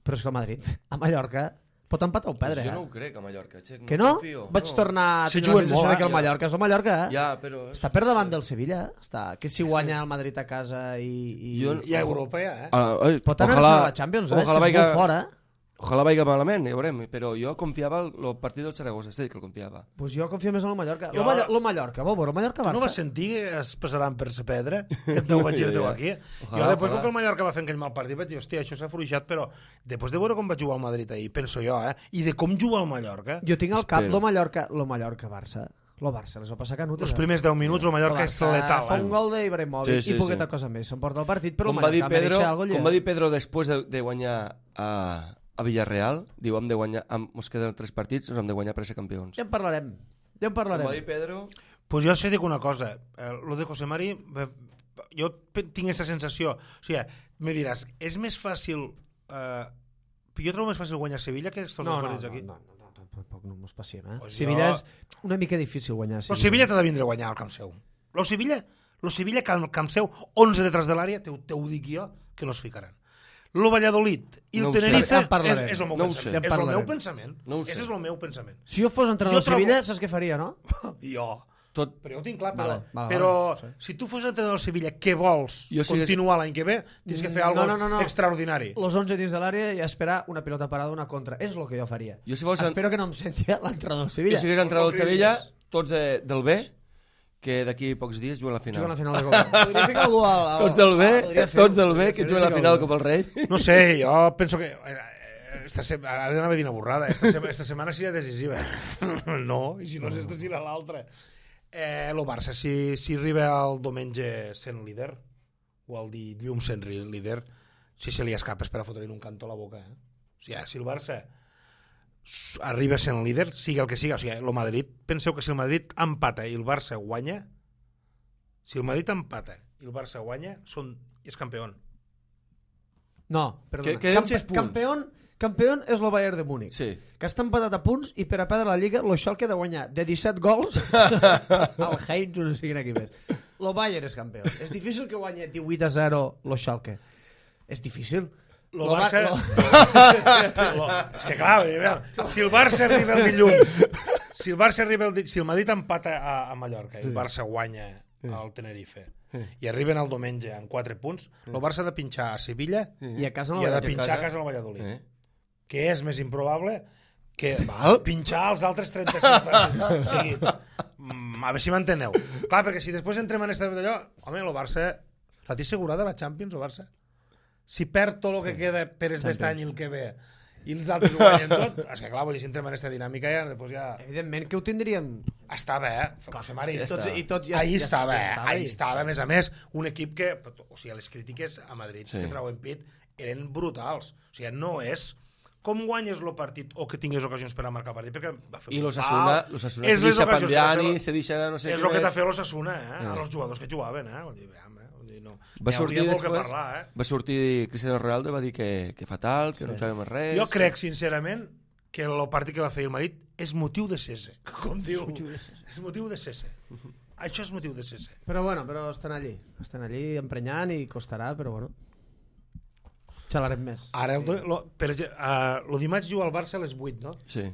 Però és que el Madrid, a Mallorca, pot empatar o perdre. Jo eh? no ho crec, a Mallorca, Xec. Que no? confio, Vaig no. tornar a Sí, tenir la juguen sensació molt, de que el eh? Mallorca és el Mallorca, eh? Ja, però... Està per davant del Sevilla, eh? Està. Que si guanya el Madrid a casa i... i... Jo- I a Europa ja, eh? Ah, ai, Pot anar ojalà- a la Champions, eh? És que Ojalà és vaiga, molt fora, eh? ojalà vaiga malament, ja veurem, però jo confiava el, el partit del Saragossa, sí que el confiava. Pues jo confio més en el Mallorca. Jo- Lo, Mallorca, lo Mallorca, vol veure, el Mallorca Tu no Barça. vas sentir que es passaran per sa pedra? Que et deu vaig dir teu aquí? Ojalà, Jo després, ojalà. com que el Mallorca va fer aquell mal partit, vaig dir, hòstia, això s'ha fluixat, però després de veure com va jugar el Madrid ahir, penso jo, eh? I de com juga el Mallorca, Jo tinc al cap Espero. lo Mallorca, lo Mallorca-Barça. Lo Barça les va passar canutes. els eh? primers deu minuts el Mallorca El és Barça letal. Fa un Eh? gol d'Ibrahimovic Sí, sí, i poqueta sí. cosa més. S'emporta el partit, però Com el va, dir Mallorca Pedro, mereixia algo com va dir Pedro després de, de guanyar a, a Villarreal, diu, hem de guanyar, hem, ens queden tres partits, ens hem de guanyar per ser campions. Ja en parlarem. Ja en Com parlarem. va dir Pedro... Pues jo sé dic una cosa, eh, lo de José Mari, eh, jo pe- tinc aquesta sensació, o sigui, me diràs, és més fàcil, eh, jo trobo més fàcil guanyar Sevilla que estos No, dos no, partits no, aquí. no, no, no, tampoc no mos passiem, eh? Pues Sevilla jo- és una mica difícil guanyar. Lo Sevilla t'ha de vindre a guanyar al Camp Seu. Lo Sevilla, lo Sevilla que al Camp Seu, onze detrás de l'àrea, te, te ho dic jo, que no es ficaran. Lo Valladolid i el No ho sé. Tenerife Ja en parlarem. és, és el meu No ho pensament. sé. Ja en És el parlarem. meu pensament. No ho sé. Ese és el meu pensament. Si jo fos entrenador Jo del trobo- Sevilla, saps què faria, no? Jo. Tot, Però jo ho tinc clar, però, Vale, vale, però vale, sí. si tu fos entrenador del Sevilla, què vols? Jo si Continuar l'any que ve? Tens que fer No, alguna no, no, no. extraordinari. Los onze dins de l'àrea i esperar una pilota parada, una contra. És el que jo faria. Jo si fos en- Espero que no em senti l'entrenador del jo Sevilla. si hagués entrat al No Sevilla, cridis. tots de, del B, que d'aquí pocs dies juguen a la final. Juguen a la final de Copa. Podria ficar algú al... al Tots del B, podria fer-ho, tots del B, podria que fer-ho, juguen a la ficar final algú. com el rei. No sé, jo penso que... eh, Esta se... Ara anava a dir una borrada. Esta, se... esta setmana seria decisiva. No, i si no és esta serà l'altra. Eh, lo Barça, si, si arriba el diumenge sent líder, o el dilluns sent líder, si se li escapa és per a fotre-li un cantó a la boca. Eh? O sigui, si el Barça arriba sent líder, sigui el que sigui, o sigui, el Madrid, penseu que si el Madrid empata i el Barça guanya, si el Madrid empata i el Barça guanya, són, és campió. No, perdona. Que- queden sis punts. Campeón, campeón és el Bayern de Múnich. Sí. Que està empatat a punts i per a perdre la Lliga lo Schalke ha de guanyar de disset gols al Heinz o no sé quin equip és. Lo Bayern és campió. És difícil que guanyi divuit a zero lo Schalke. És difícil. Lo Lo Ba- Barça... lo- Lo... És que clar, veure, si el Barça arriba el dilluns, si el Barça arriba el di... si el Madrid empata a, a Mallorca i el Barça guanya al Tenerife i arriben el diumenge amb quatre punts, el Barça ha de pinxar a Sevilla I a casa no i ha de la pinxar casa. a casa al Valladolid. Eh? Que és més improbable que Val. pinxar els altres trenta-sis partits seguits. Mm, a veure si m'enteneu. Clar, perquè si després entrem en aquesta d'allò, home, el Barça... La té assegurada la Champions, el Barça? Si perd tot el que queda per aquest any i el que ve i els altres ho guanyen tot, és que clar, vull dir, si entrem en aquesta dinàmica ja, després ja... Evidentment que ho tindríem... Estava, eh? José Mari. I tots, i tots ja, Ahí ja, estava, ja eh? estava Ahí estava, a més a més, un equip que... O sigui, les crítiques a Madrid Sí. que trauen pit eren brutals. O sigui, no és com guanyes el partit o que tingues ocasions per a marcar partit? Perquè va fer I un l'Osasuna, pal. l'Osasuna És se les deixa ocasions que Pandiani, t'ha fet- se deixa no sé És què el que t'ha més. fet l'Osasuna, eh? A els jugadors que jugaven, eh? Vull dir, veam, eh? Vull dir, no. Va Hi sortir hauria molt que després, parlar, eh? va sortir Cristiano Ronaldo, va dir que, que fatal, que Sí. no sabem més res. Jo crec, sincerament, que el partit que va fer el Madrid és motiu de cese, com diu. És motiu de cese. Això és motiu de cese. Però bueno, però estan allí. Estan allí emprenyant i costarà, però bueno. Xalarem més. Ara, el, do- lo, per exemple, uh, el dimarts juga el Barça a les vuit, no? Sí.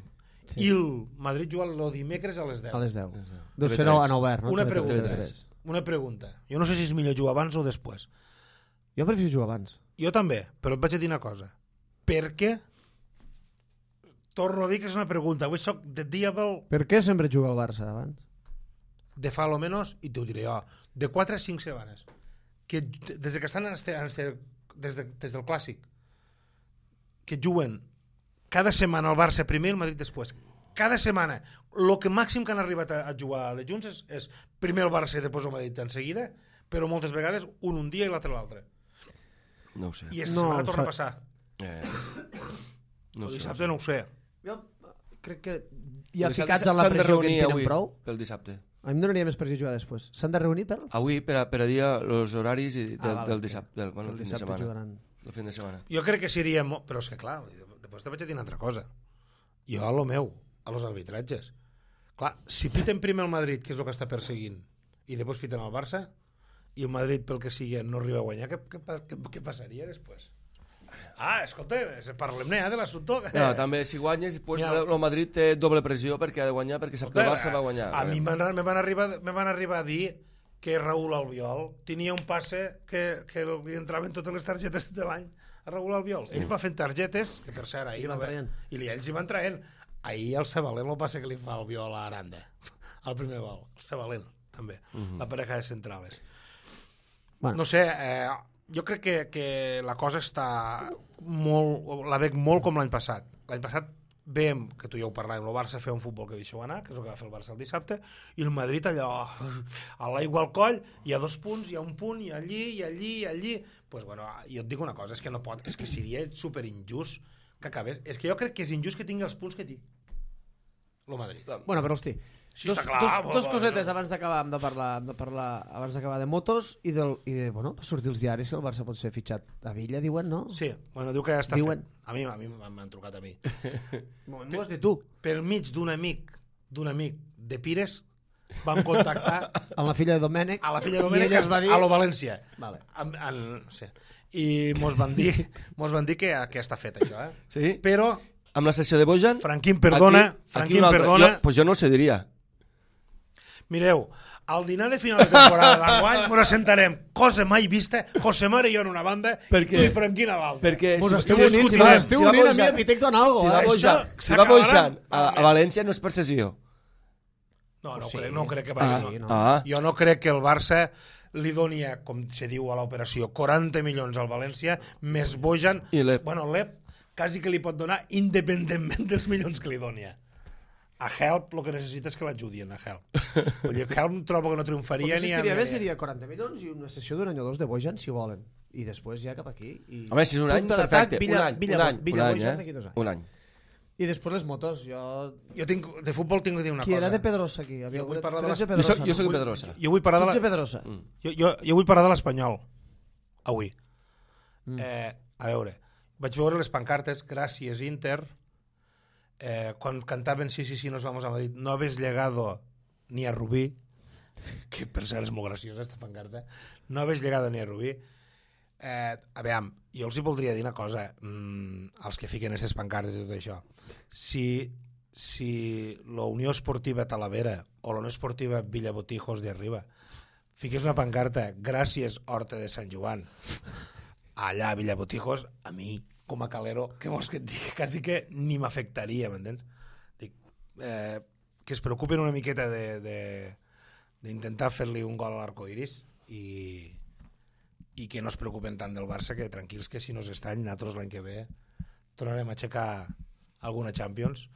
Sí. I el Madrid juga el dimecres a les deu. A les deu. deu. Deu ser T V tres. en obert, no? Una T V tres. pregunta. T V tres. Una pregunta. Jo no sé si és millor jugar abans o després. Jo prefiero jugar abans. Jo també, però et vaig a dir una cosa. Per què? Torno a dir que és una pregunta. Avui soc de Diable Per què sempre juga el Barça abans? de fa lo menos, i t'ho diré jo, de quatre a cinc setmanes. Que des de que estan en este, en este, des, de, des del Clàssic, que juguen cada setmana el Barça primer i el Madrid després. Cada setmana. El que màxim que han arribat a, a jugar de junts és, és primer el Barça i després el Madrid en seguida, però moltes vegades un un dia i l'altre l'altre. No ho sé. I aquesta No, setmana torna sa- a passar. Eh, no El ho sé, dissabte no ho sé. Jo crec que ja El dissabte ficats en la s'han de pressió que en reunir tenen avui, prou, pel dissabte. a mi em donaria més pressió jugar després. S'han de reunir per... Avui per a, per a dir els horaris i del, Ah, vale, del sí. dissabte, del, bueno, El el fin de dissabte setmana. jugaran. El fin de setmana. Jo crec que seria... Mo... Però és que clar, després te vaig a dir una altra cosa. Jo a lo meu, a los arbitratges. Clar, si piten primer el Madrid, que és el que està perseguint, i després piten el Barça, i el Madrid, pel que sigui, no arriba a guanyar, què, què, què, què passaria després? Ah, escolta, parlem-ne eh, de l'assumpte. No, també, si guanyes, pues, Mira, el Madrid té doble pressió perquè ha de guanyar, perquè sap que el Barça va guanyar. A mi me van, arribar, me van arribar a dir que Raúl Albiol tenia un passe que, que li entraven totes les targetes de l'any a Raúl Albiol. Sí. Ell va fent targetes, que per cert, ahir I van no ve- traient. i li- ells hi van traient. Ahir el Sabalent el passe que li fa Albiol a Aranda, al primer gol. El Sabalent, també. Uh -huh. La pareja de centrales. Bueno. No sé, eh, jo crec que, que la cosa està molt, la veig molt com l'any passat. L'any passat veiem, que tu ja ho parlàvem, el Barça fer un futbol que deixeu anar, que és el que va fer el Barça el dissabte, i el Madrid allò, a l'aigua al coll, hi ha dos punts, hi ha un punt, i allí, i allí, i allí. Pues bueno, jo et dic una cosa, és que no pot, és que seria superinjust que acabés. És que jo crec que és injust que tingui els punts que té el Madrid. Bueno, però hosti, Sí, dos, està clar, dos, bo, dos bo, cosetes no. abans d'acabar hem de parlar, hem de parlar abans d'acabar de motos i, del, i de, bueno, per sortir els diaris que el Barça pot ser fitxat a Villa, diuen, no? Sí, bueno, diu que ja està Diuen. fet. A mi a mi m'han trucat a mi. M'ho has dit tu. Per mig d'un amic, d'un amic de Pires, van contactar Amb la filla de Domènec. a la filla de I Domènec ella es va dir... a lo València. Vale. En, en, sí. I mos van dir, mos van dir que, que està fet això, eh? Sí? Però, Amb la sessió de Bojan... Franquín, perdona, aquí, aquí Franquín, un altre. perdona. Jo, pues jo no el cediria. Mireu, al dinar de final de temporada d'enguany ens sentarem, cosa mai vista, José Mare i jo en una banda Perquè- i tu i Franquín a l'altra. Perquè Vos si, esteu si, unint, si discutim, vos esteu va unint a mi Bojan- arquitecto en algo, si va eh? Bojan, Això si va Bojan a, s'acabarà- a València no és per sessió. No, no, Sí. crec, no crec que Ah, vagi. no. no. ah. Jo no crec que el Barça li doni, a, com se diu a l'operació, quaranta milions al València, més Bojan. I l'Ep. Bueno, l'Ep quasi que li pot donar independentment dels milions que li doni. A Help el que necessita és que l'ajudien, a Help. Vull dir, Help trobo que no El triomfaria que ni... estaria ni- bé seria quaranta milions i una sessió d'un any o dos de Bojan, si volen. I després ja cap aquí. I... Home, si és un any, Punta d'atac, perfecte. Villa, Un any, Villa, un any, Villa un any, Bojan eh? d'aquí dos anys. Un any. I després les motos, jo... Jo tinc, de futbol tinc que dir una Qui cosa. era de Pedrosa aquí? Jo vull parlar de tretze les- Jo Pedrosa, soc, jo soc no? Pedrosa. Jo vull parlar de quinze la... Pedrosa. Mm. Jo, jo, jo vull parlar de l'Espanyol, avui. Mm. Eh, a veure, vaig veure les pancartes, gràcies Inter, eh, quan cantaven sí, sí, sí, nos vamos a Madrid, no habéis llegado ni a Rubí, que per cert és molt graciosa esta pancarta, no habéis llegado ni a Rubí. Eh, a veure, jo els hi voldria dir una cosa, mmm, als que fiquen aquestes pancartes i tot això. Si, si la Unió Esportiva Talavera o la Unió Esportiva Villabotijos de Arriba fiqués una pancarta, gràcies Horta de Sant Joan, allà a Villabotijos, a mi, com a calero, què vols que et digui? Quasi que ni m'afectaria, m'entens? Dic, eh, que es preocupen una miqueta de, de, d'intentar fer-li un gol a l'arcoiris i, i que no es preocupen tant del Barça, que tranquils que si no s'estany, nosaltres l'any que ve tornarem a aixecar alguna Champions,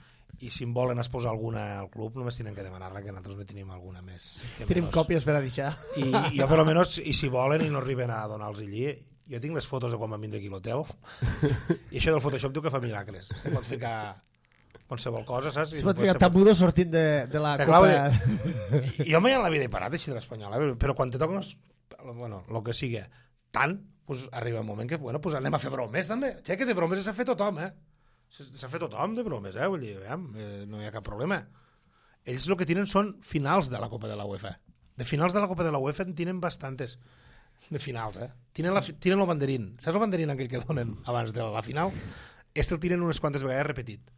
i si en volen exposar alguna al club només tenen que demanar-la, que nosaltres no tenim alguna més que Tenim menys. còpies per a deixar. I, i jo per almenys, i si volen i no arriben a donar-los allí, jo tinc les fotos de quan vam vindre aquí a l'hotel i això del Photoshop diu que fa miracles. Se pot ficar qualsevol cosa, saps? Se pot ficar tabudo sortint de, de la que copa. Clar, jo mai en la vida he parat així de l'Espanyol, eh? Però quan te toquen els... bueno, el que sigui, tant, pues, arriba un moment que, bueno, pues anem a fer bromes també. Ja que de bromes s'ha fet tothom, eh? S'ha fet tothom de bromes, eh? Vull dir, veiem, eh, no hi ha cap problema. Ells el que tenen són finals de la Copa de la UEFA. De finals de la Copa de la UEFA en tenen bastantes. De finals, eh? Tenen, la, tenen el banderín. Saps el banderín aquell que donen abans de la final? Este el tiren unes quantes vegades repetit.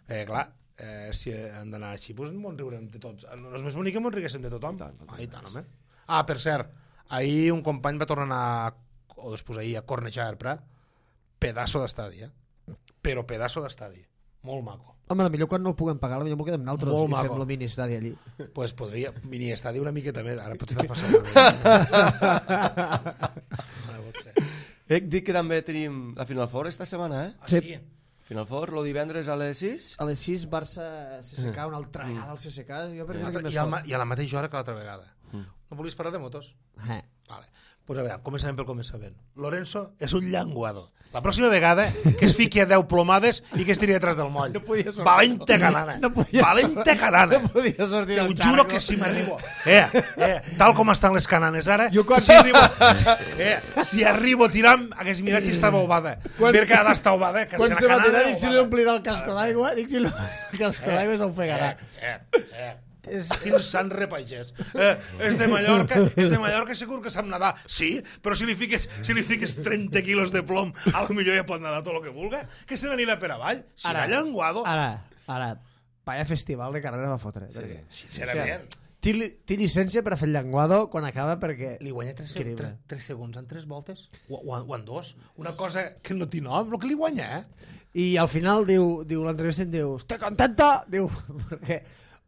Eh, clar, eh, si han d'anar així, doncs ens riurem de tots. No és més bonic que ens riguéssim de tothom. Ah, i tant, home. Ah, per cert, ahir un company va tornar a anar, o després ahir, a cornejar el Prat. Pedaço d'estadi, eh? Però pedaço d'estadi. Molt maco. Home, millor quan no el puguem pagar, millor m'ho quedem nosaltres i fem el mini-estadi allí. Pues podria, mini-estadi una miqueta més. Ara potser t'has passat. Ec, dic que també tenim la Final Four esta setmana, eh? Ah, sí? Final Four, lo divendres a les sis. A les sis, Barça-C S K, una altra vegada al C S K. Jo per mi I, al, I a la mateixa hora que l'altra vegada. No volies parlar de motos? Eh. Vale. Pues a veure, començarem pel començament. Lorenzo és un llenguado. La pròxima vegada que es fiqui a deu plomades i que es tiri detrás del moll. No podia sortir. Valente canana. No podia Valente canana. No podia sortir Te ho del juro xarco. que si m'arribo... Eh, eh, tal com estan les cananes ara, Jo quan- si arribo, si, eh, si arribo tirant, hagués mirat si estava ovada. Quan- Perquè ha d'estar ovada, que Quan si se la va tirar, canana dic si li ovada. omplirà el casco d'aigua, dic si li... el casco d'aigua s'ofegarà. Eh, eh, eh. Quin sant repagès. Eh, és de Mallorca, és de Mallorca, segur que sap nedar. Sí, però si li fiques, si li fiques trenta quilos de plom, a lo millor ja pot nedar tot el que vulga, que se n'anirà per avall. Si Ara, era llenguado, Ara, ara, vaya festival de carrera va fotre. Sí. sincerament, Té, li- té llicència per a fer el llenguado quan acaba perquè... li guanya tres, Increïble. tres, tres segons en tres voltes? O, o, o en dos? Una cosa que no té nom, el que li guanya, eh? I al final diu, diu l'entrevista diu, ¿estoy contento? Diu, perquè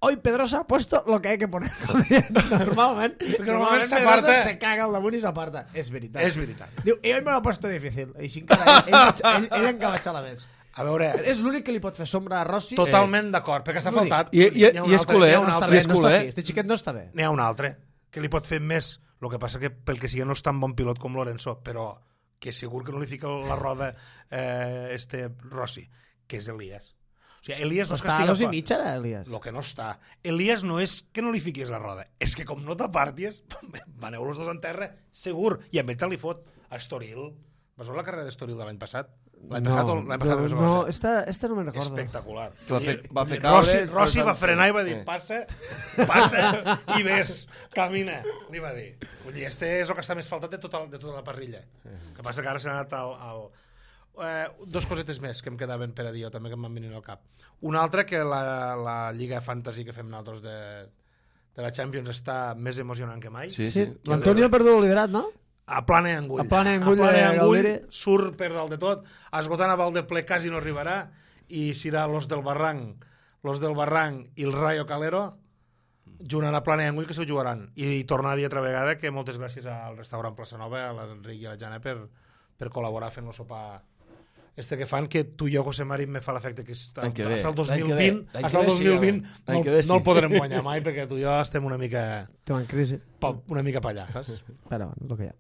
hoy Pedrosa ha puesto lo que hay que poner. Normalment, normalment Pedrosa s'aparta. se caga al damunt i s'aparta. És veritat. És veritat. Diu, i hoy me lo ha puesto difícil. I així encara ell, ell, ell, ell encara xala més. A veure, És l'únic que li pot fer sombra a Rossi. totalment d'acord, perquè s'ha L'únic. faltat. I- i- N'hi ha un i és altre, culer, n'hi ha un No està altre. bé, és no està culer. fi. Este xiquet no està bé. N'hi ha un altre que li pot fer més. El que passa que pel que sigui no és tan bon pilot com Lorenzo, però que segur que no li fica la roda eh, este Rossi, que és Elias. O sigui, Elias no és que Està a estiga dos i fort. mig ara, Elias. Lo que no està. Elias no és que no li fiquis la roda, és que com no t'aparties, maneu els dos en terra, segur, i amb ell te li fot. A Estoril. Vas veure la carrera d'Estoril de l'any passat? L'any passat o l'any passat? no, no, esta, esta no me'n recordo. Espectacular. Que va fer- va fer Rossi, caure, Rossi però va tant- frenar i va dir, Eh. passa, passa i ves, camina, li va dir. Vull dir, este és el que està més faltat de tota, de tota la parrilla. El que passa que ara s'ha anat al... al eh, dos cosetes més que em quedaven per a dir, també que em van venir al cap. Una altra, que la, la Lliga Fantasy que fem nosaltres de, de la Champions està més emocionant que mai. Sí, Sí, sí. l'Antonio ha perdut el liderat, no? A plana i angull. A plana i angull a plana i de angull Galdiri. surt per dalt de tot, esgotant a Valdeple quasi no arribarà, i serà los del Barranc, los del Barranc i el Rayo Calero jugant a plana i angull que s'ho jugaran. I tornar a dir altra vegada que moltes gràcies al restaurant Plaça Nova, a l'Enric i a la Jana per, per col·laborar fent el sopar este que fan, que tu i jo, José Mari, me fa l'efecte que està, L'any que ve, hasta el dos l'any mil que ve, vint, l'any que hasta el ve dos sí, mil vint home. L'any no, que ve sí. no el podrem guanyar mai, perquè tu i jo estem una mica, Estem en crisi. pa- una mica pa allà, saps? Però bueno, és el que hi ha.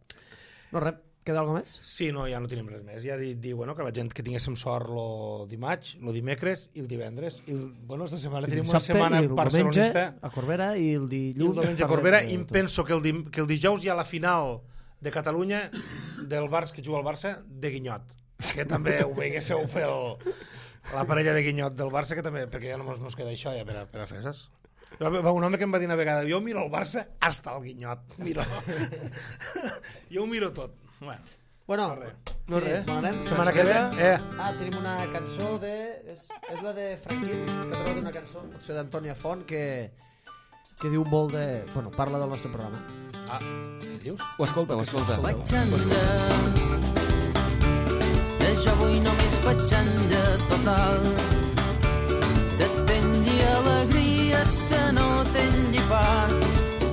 No, res, queda alguna més? Sí, no, ja no tenim res més. Ja dir, dir bueno, que la gent que tinguéssim sort lo dimarts, lo dimecres i el divendres. I el, bueno, esta setmana tenim una Dissabte setmana i el barcelonista diumenge a Corbera i el i dilluns... el diumenge a parlem Corbera, de i em tot. penso que el, dim, que el dijous hi ha la final de Catalunya del Barça que juga al Barça de Guinyot, que també ho veiguéssiu pel la parella de Guinyot del Barça, que també, perquè ja no mos, mos queda això ja per a, per a fer, saps? Va un home que em va dir una vegada, jo miro el Barça hasta el Guinyot, miro. Jo ho miro tot. Bueno, Bueno, no res. No sí, res. bon anem. Setmana que ve, eh, Ah, tenim una cançó de... És, és la de Franquín, que ha trobat una cançó, potser d'Antònia Font, que, que diu molt de... Bueno, parla del nostre programa. ah, què dius? Ho escolta, ho escolta. Vaig anar, de jo avui només vaig anar total. De tenir alegries que no tenir pa.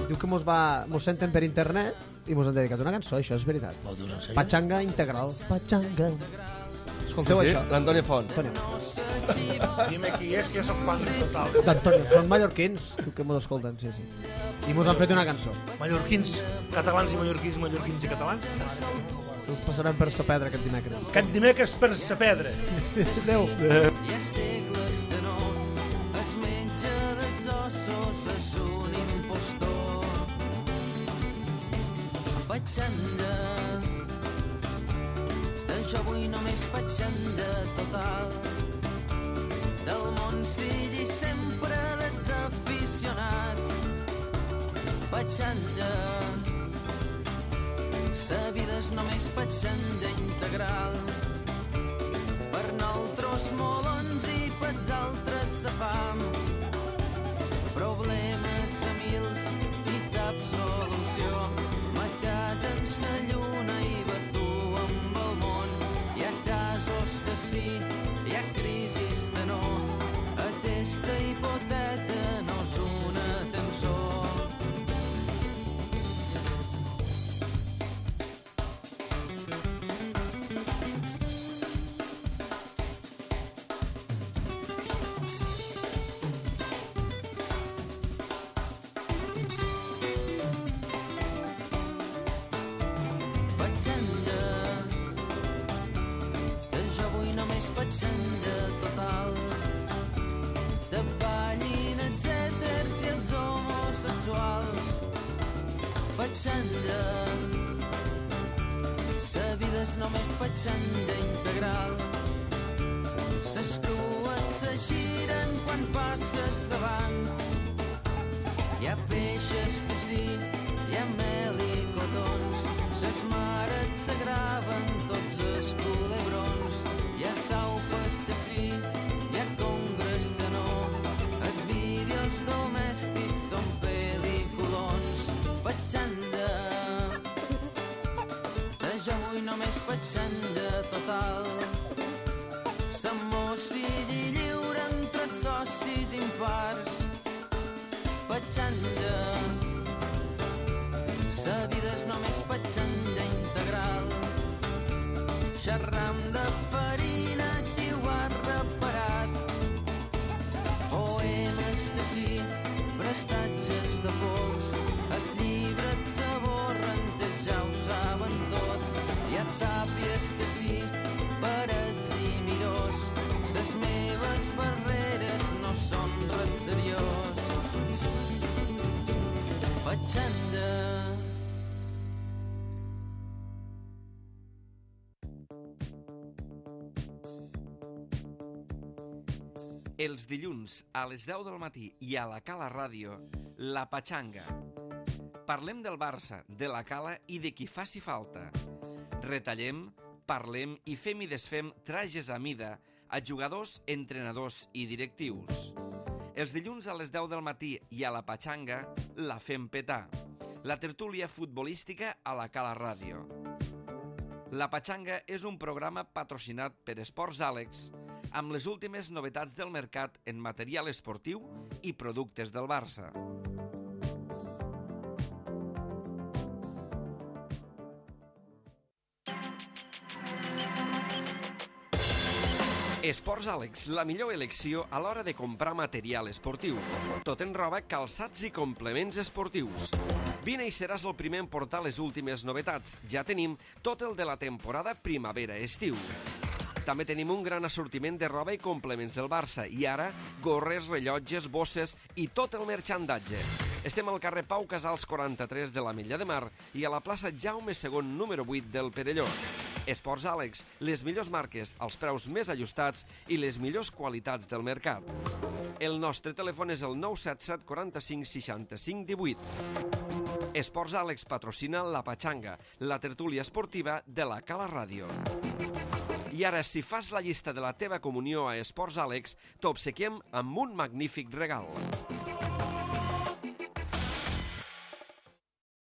Diu que mos, va, mos senten per internet i mos han dedicat una cançó, això és veritat. Ho dius en sèrio? Pachanga integral. Pachanga. Escolteu Sí, sí, això? l'Antoni Font. Antònia. Dime qui és, que jo soc fan total. D'Antònia. Són mallorquins, diu que mos escolten, sí, sí. I mos han fet una cançó. Mallorquins, catalans i mallorquins, mallorquins i catalans. Us passarem per sa pedra aquest dimecres. Aquest dimecres per sa pedra. Adéu. Hi ha segles que no es menja dels ossos, és un impostor. Patxanda, de jo vull només patxanda total. Del món sigui sempre desaficionat. Patxanda, sa vida és només patxanda integral. Per nosaltres molons i pels altres sa fam. Problemes a mils i cap solució. Matat en sa lluna i batu amb el món. Hi ha casos de sí, hi ha crisis de no. Aquesta hipoteta no és una tensió. Patxanda, que jo vull només patxanda total. De ballin els èters i els homosexuals. Patxanda, sa vida és només patxanda integral. Ses crues se giren quan passes davant. Hi ha peixes de sí, hi ha mel i cotons. Ses mares s'agraven tots els culebrons. Hi ha saupes de sí, hi ha congres de no. Els vídeos domèstics són pel·lículons. Patxanda, de jo vull només patxanda total. S'amor sigui lliure entre els socis impars. Patxanda, sa vida és només patxanda integral. Xerram de farina, qui ho ha reparat. Poemes de sí, prestatges de pols. Els llibres s'aborren, que ja ho saben tot. Hi ha tàpies de sí, parets i mirós. Ses meves barreres no són res seriós. Patxanda. Els dilluns a les deu del matí i a la Cala Ràdio, La Patxanga. Parlem del Barça, de la Cala i de qui faci falta. Retallem, parlem i fem i desfem trajes a mida a jugadors, entrenadors i directius. Els dilluns a les deu del matí i a La Patxanga la fem petar. La tertúlia futbolística a la Cala Ràdio. La Patxanga és un programa patrocinat per Esports Àlex, amb les últimes novetats del mercat en material esportiu i productes del Barça. Esports Àlex, la millor elecció a l'hora de comprar material esportiu. Tot en roba, calçats i complements esportius. Vine i seràs el primer en portar les últimes novetats. Ja tenim tot el de la temporada primavera-estiu. També tenim un gran assortiment de roba i complements del Barça i ara gorres, rellotges, bosses i tot el merchandatge. Estem al carrer Pau Casals quaranta-tres de l'Ametlla de Mar i a la plaça Jaume segon número vuit del Perelló. Esports Àlex, les millors marques, els preus més ajustats i les millors qualitats del mercat. El nostre telèfon és el nou set set quaranta-cinc seixanta-cinc divuit. Esports Àlex patrocina La Patxanga, la tertúlia esportiva de la Cala Ràdio. I ara, si fas la llista de la teva comunió a Esports Àlex, t'obsequiem amb un magnífic regal.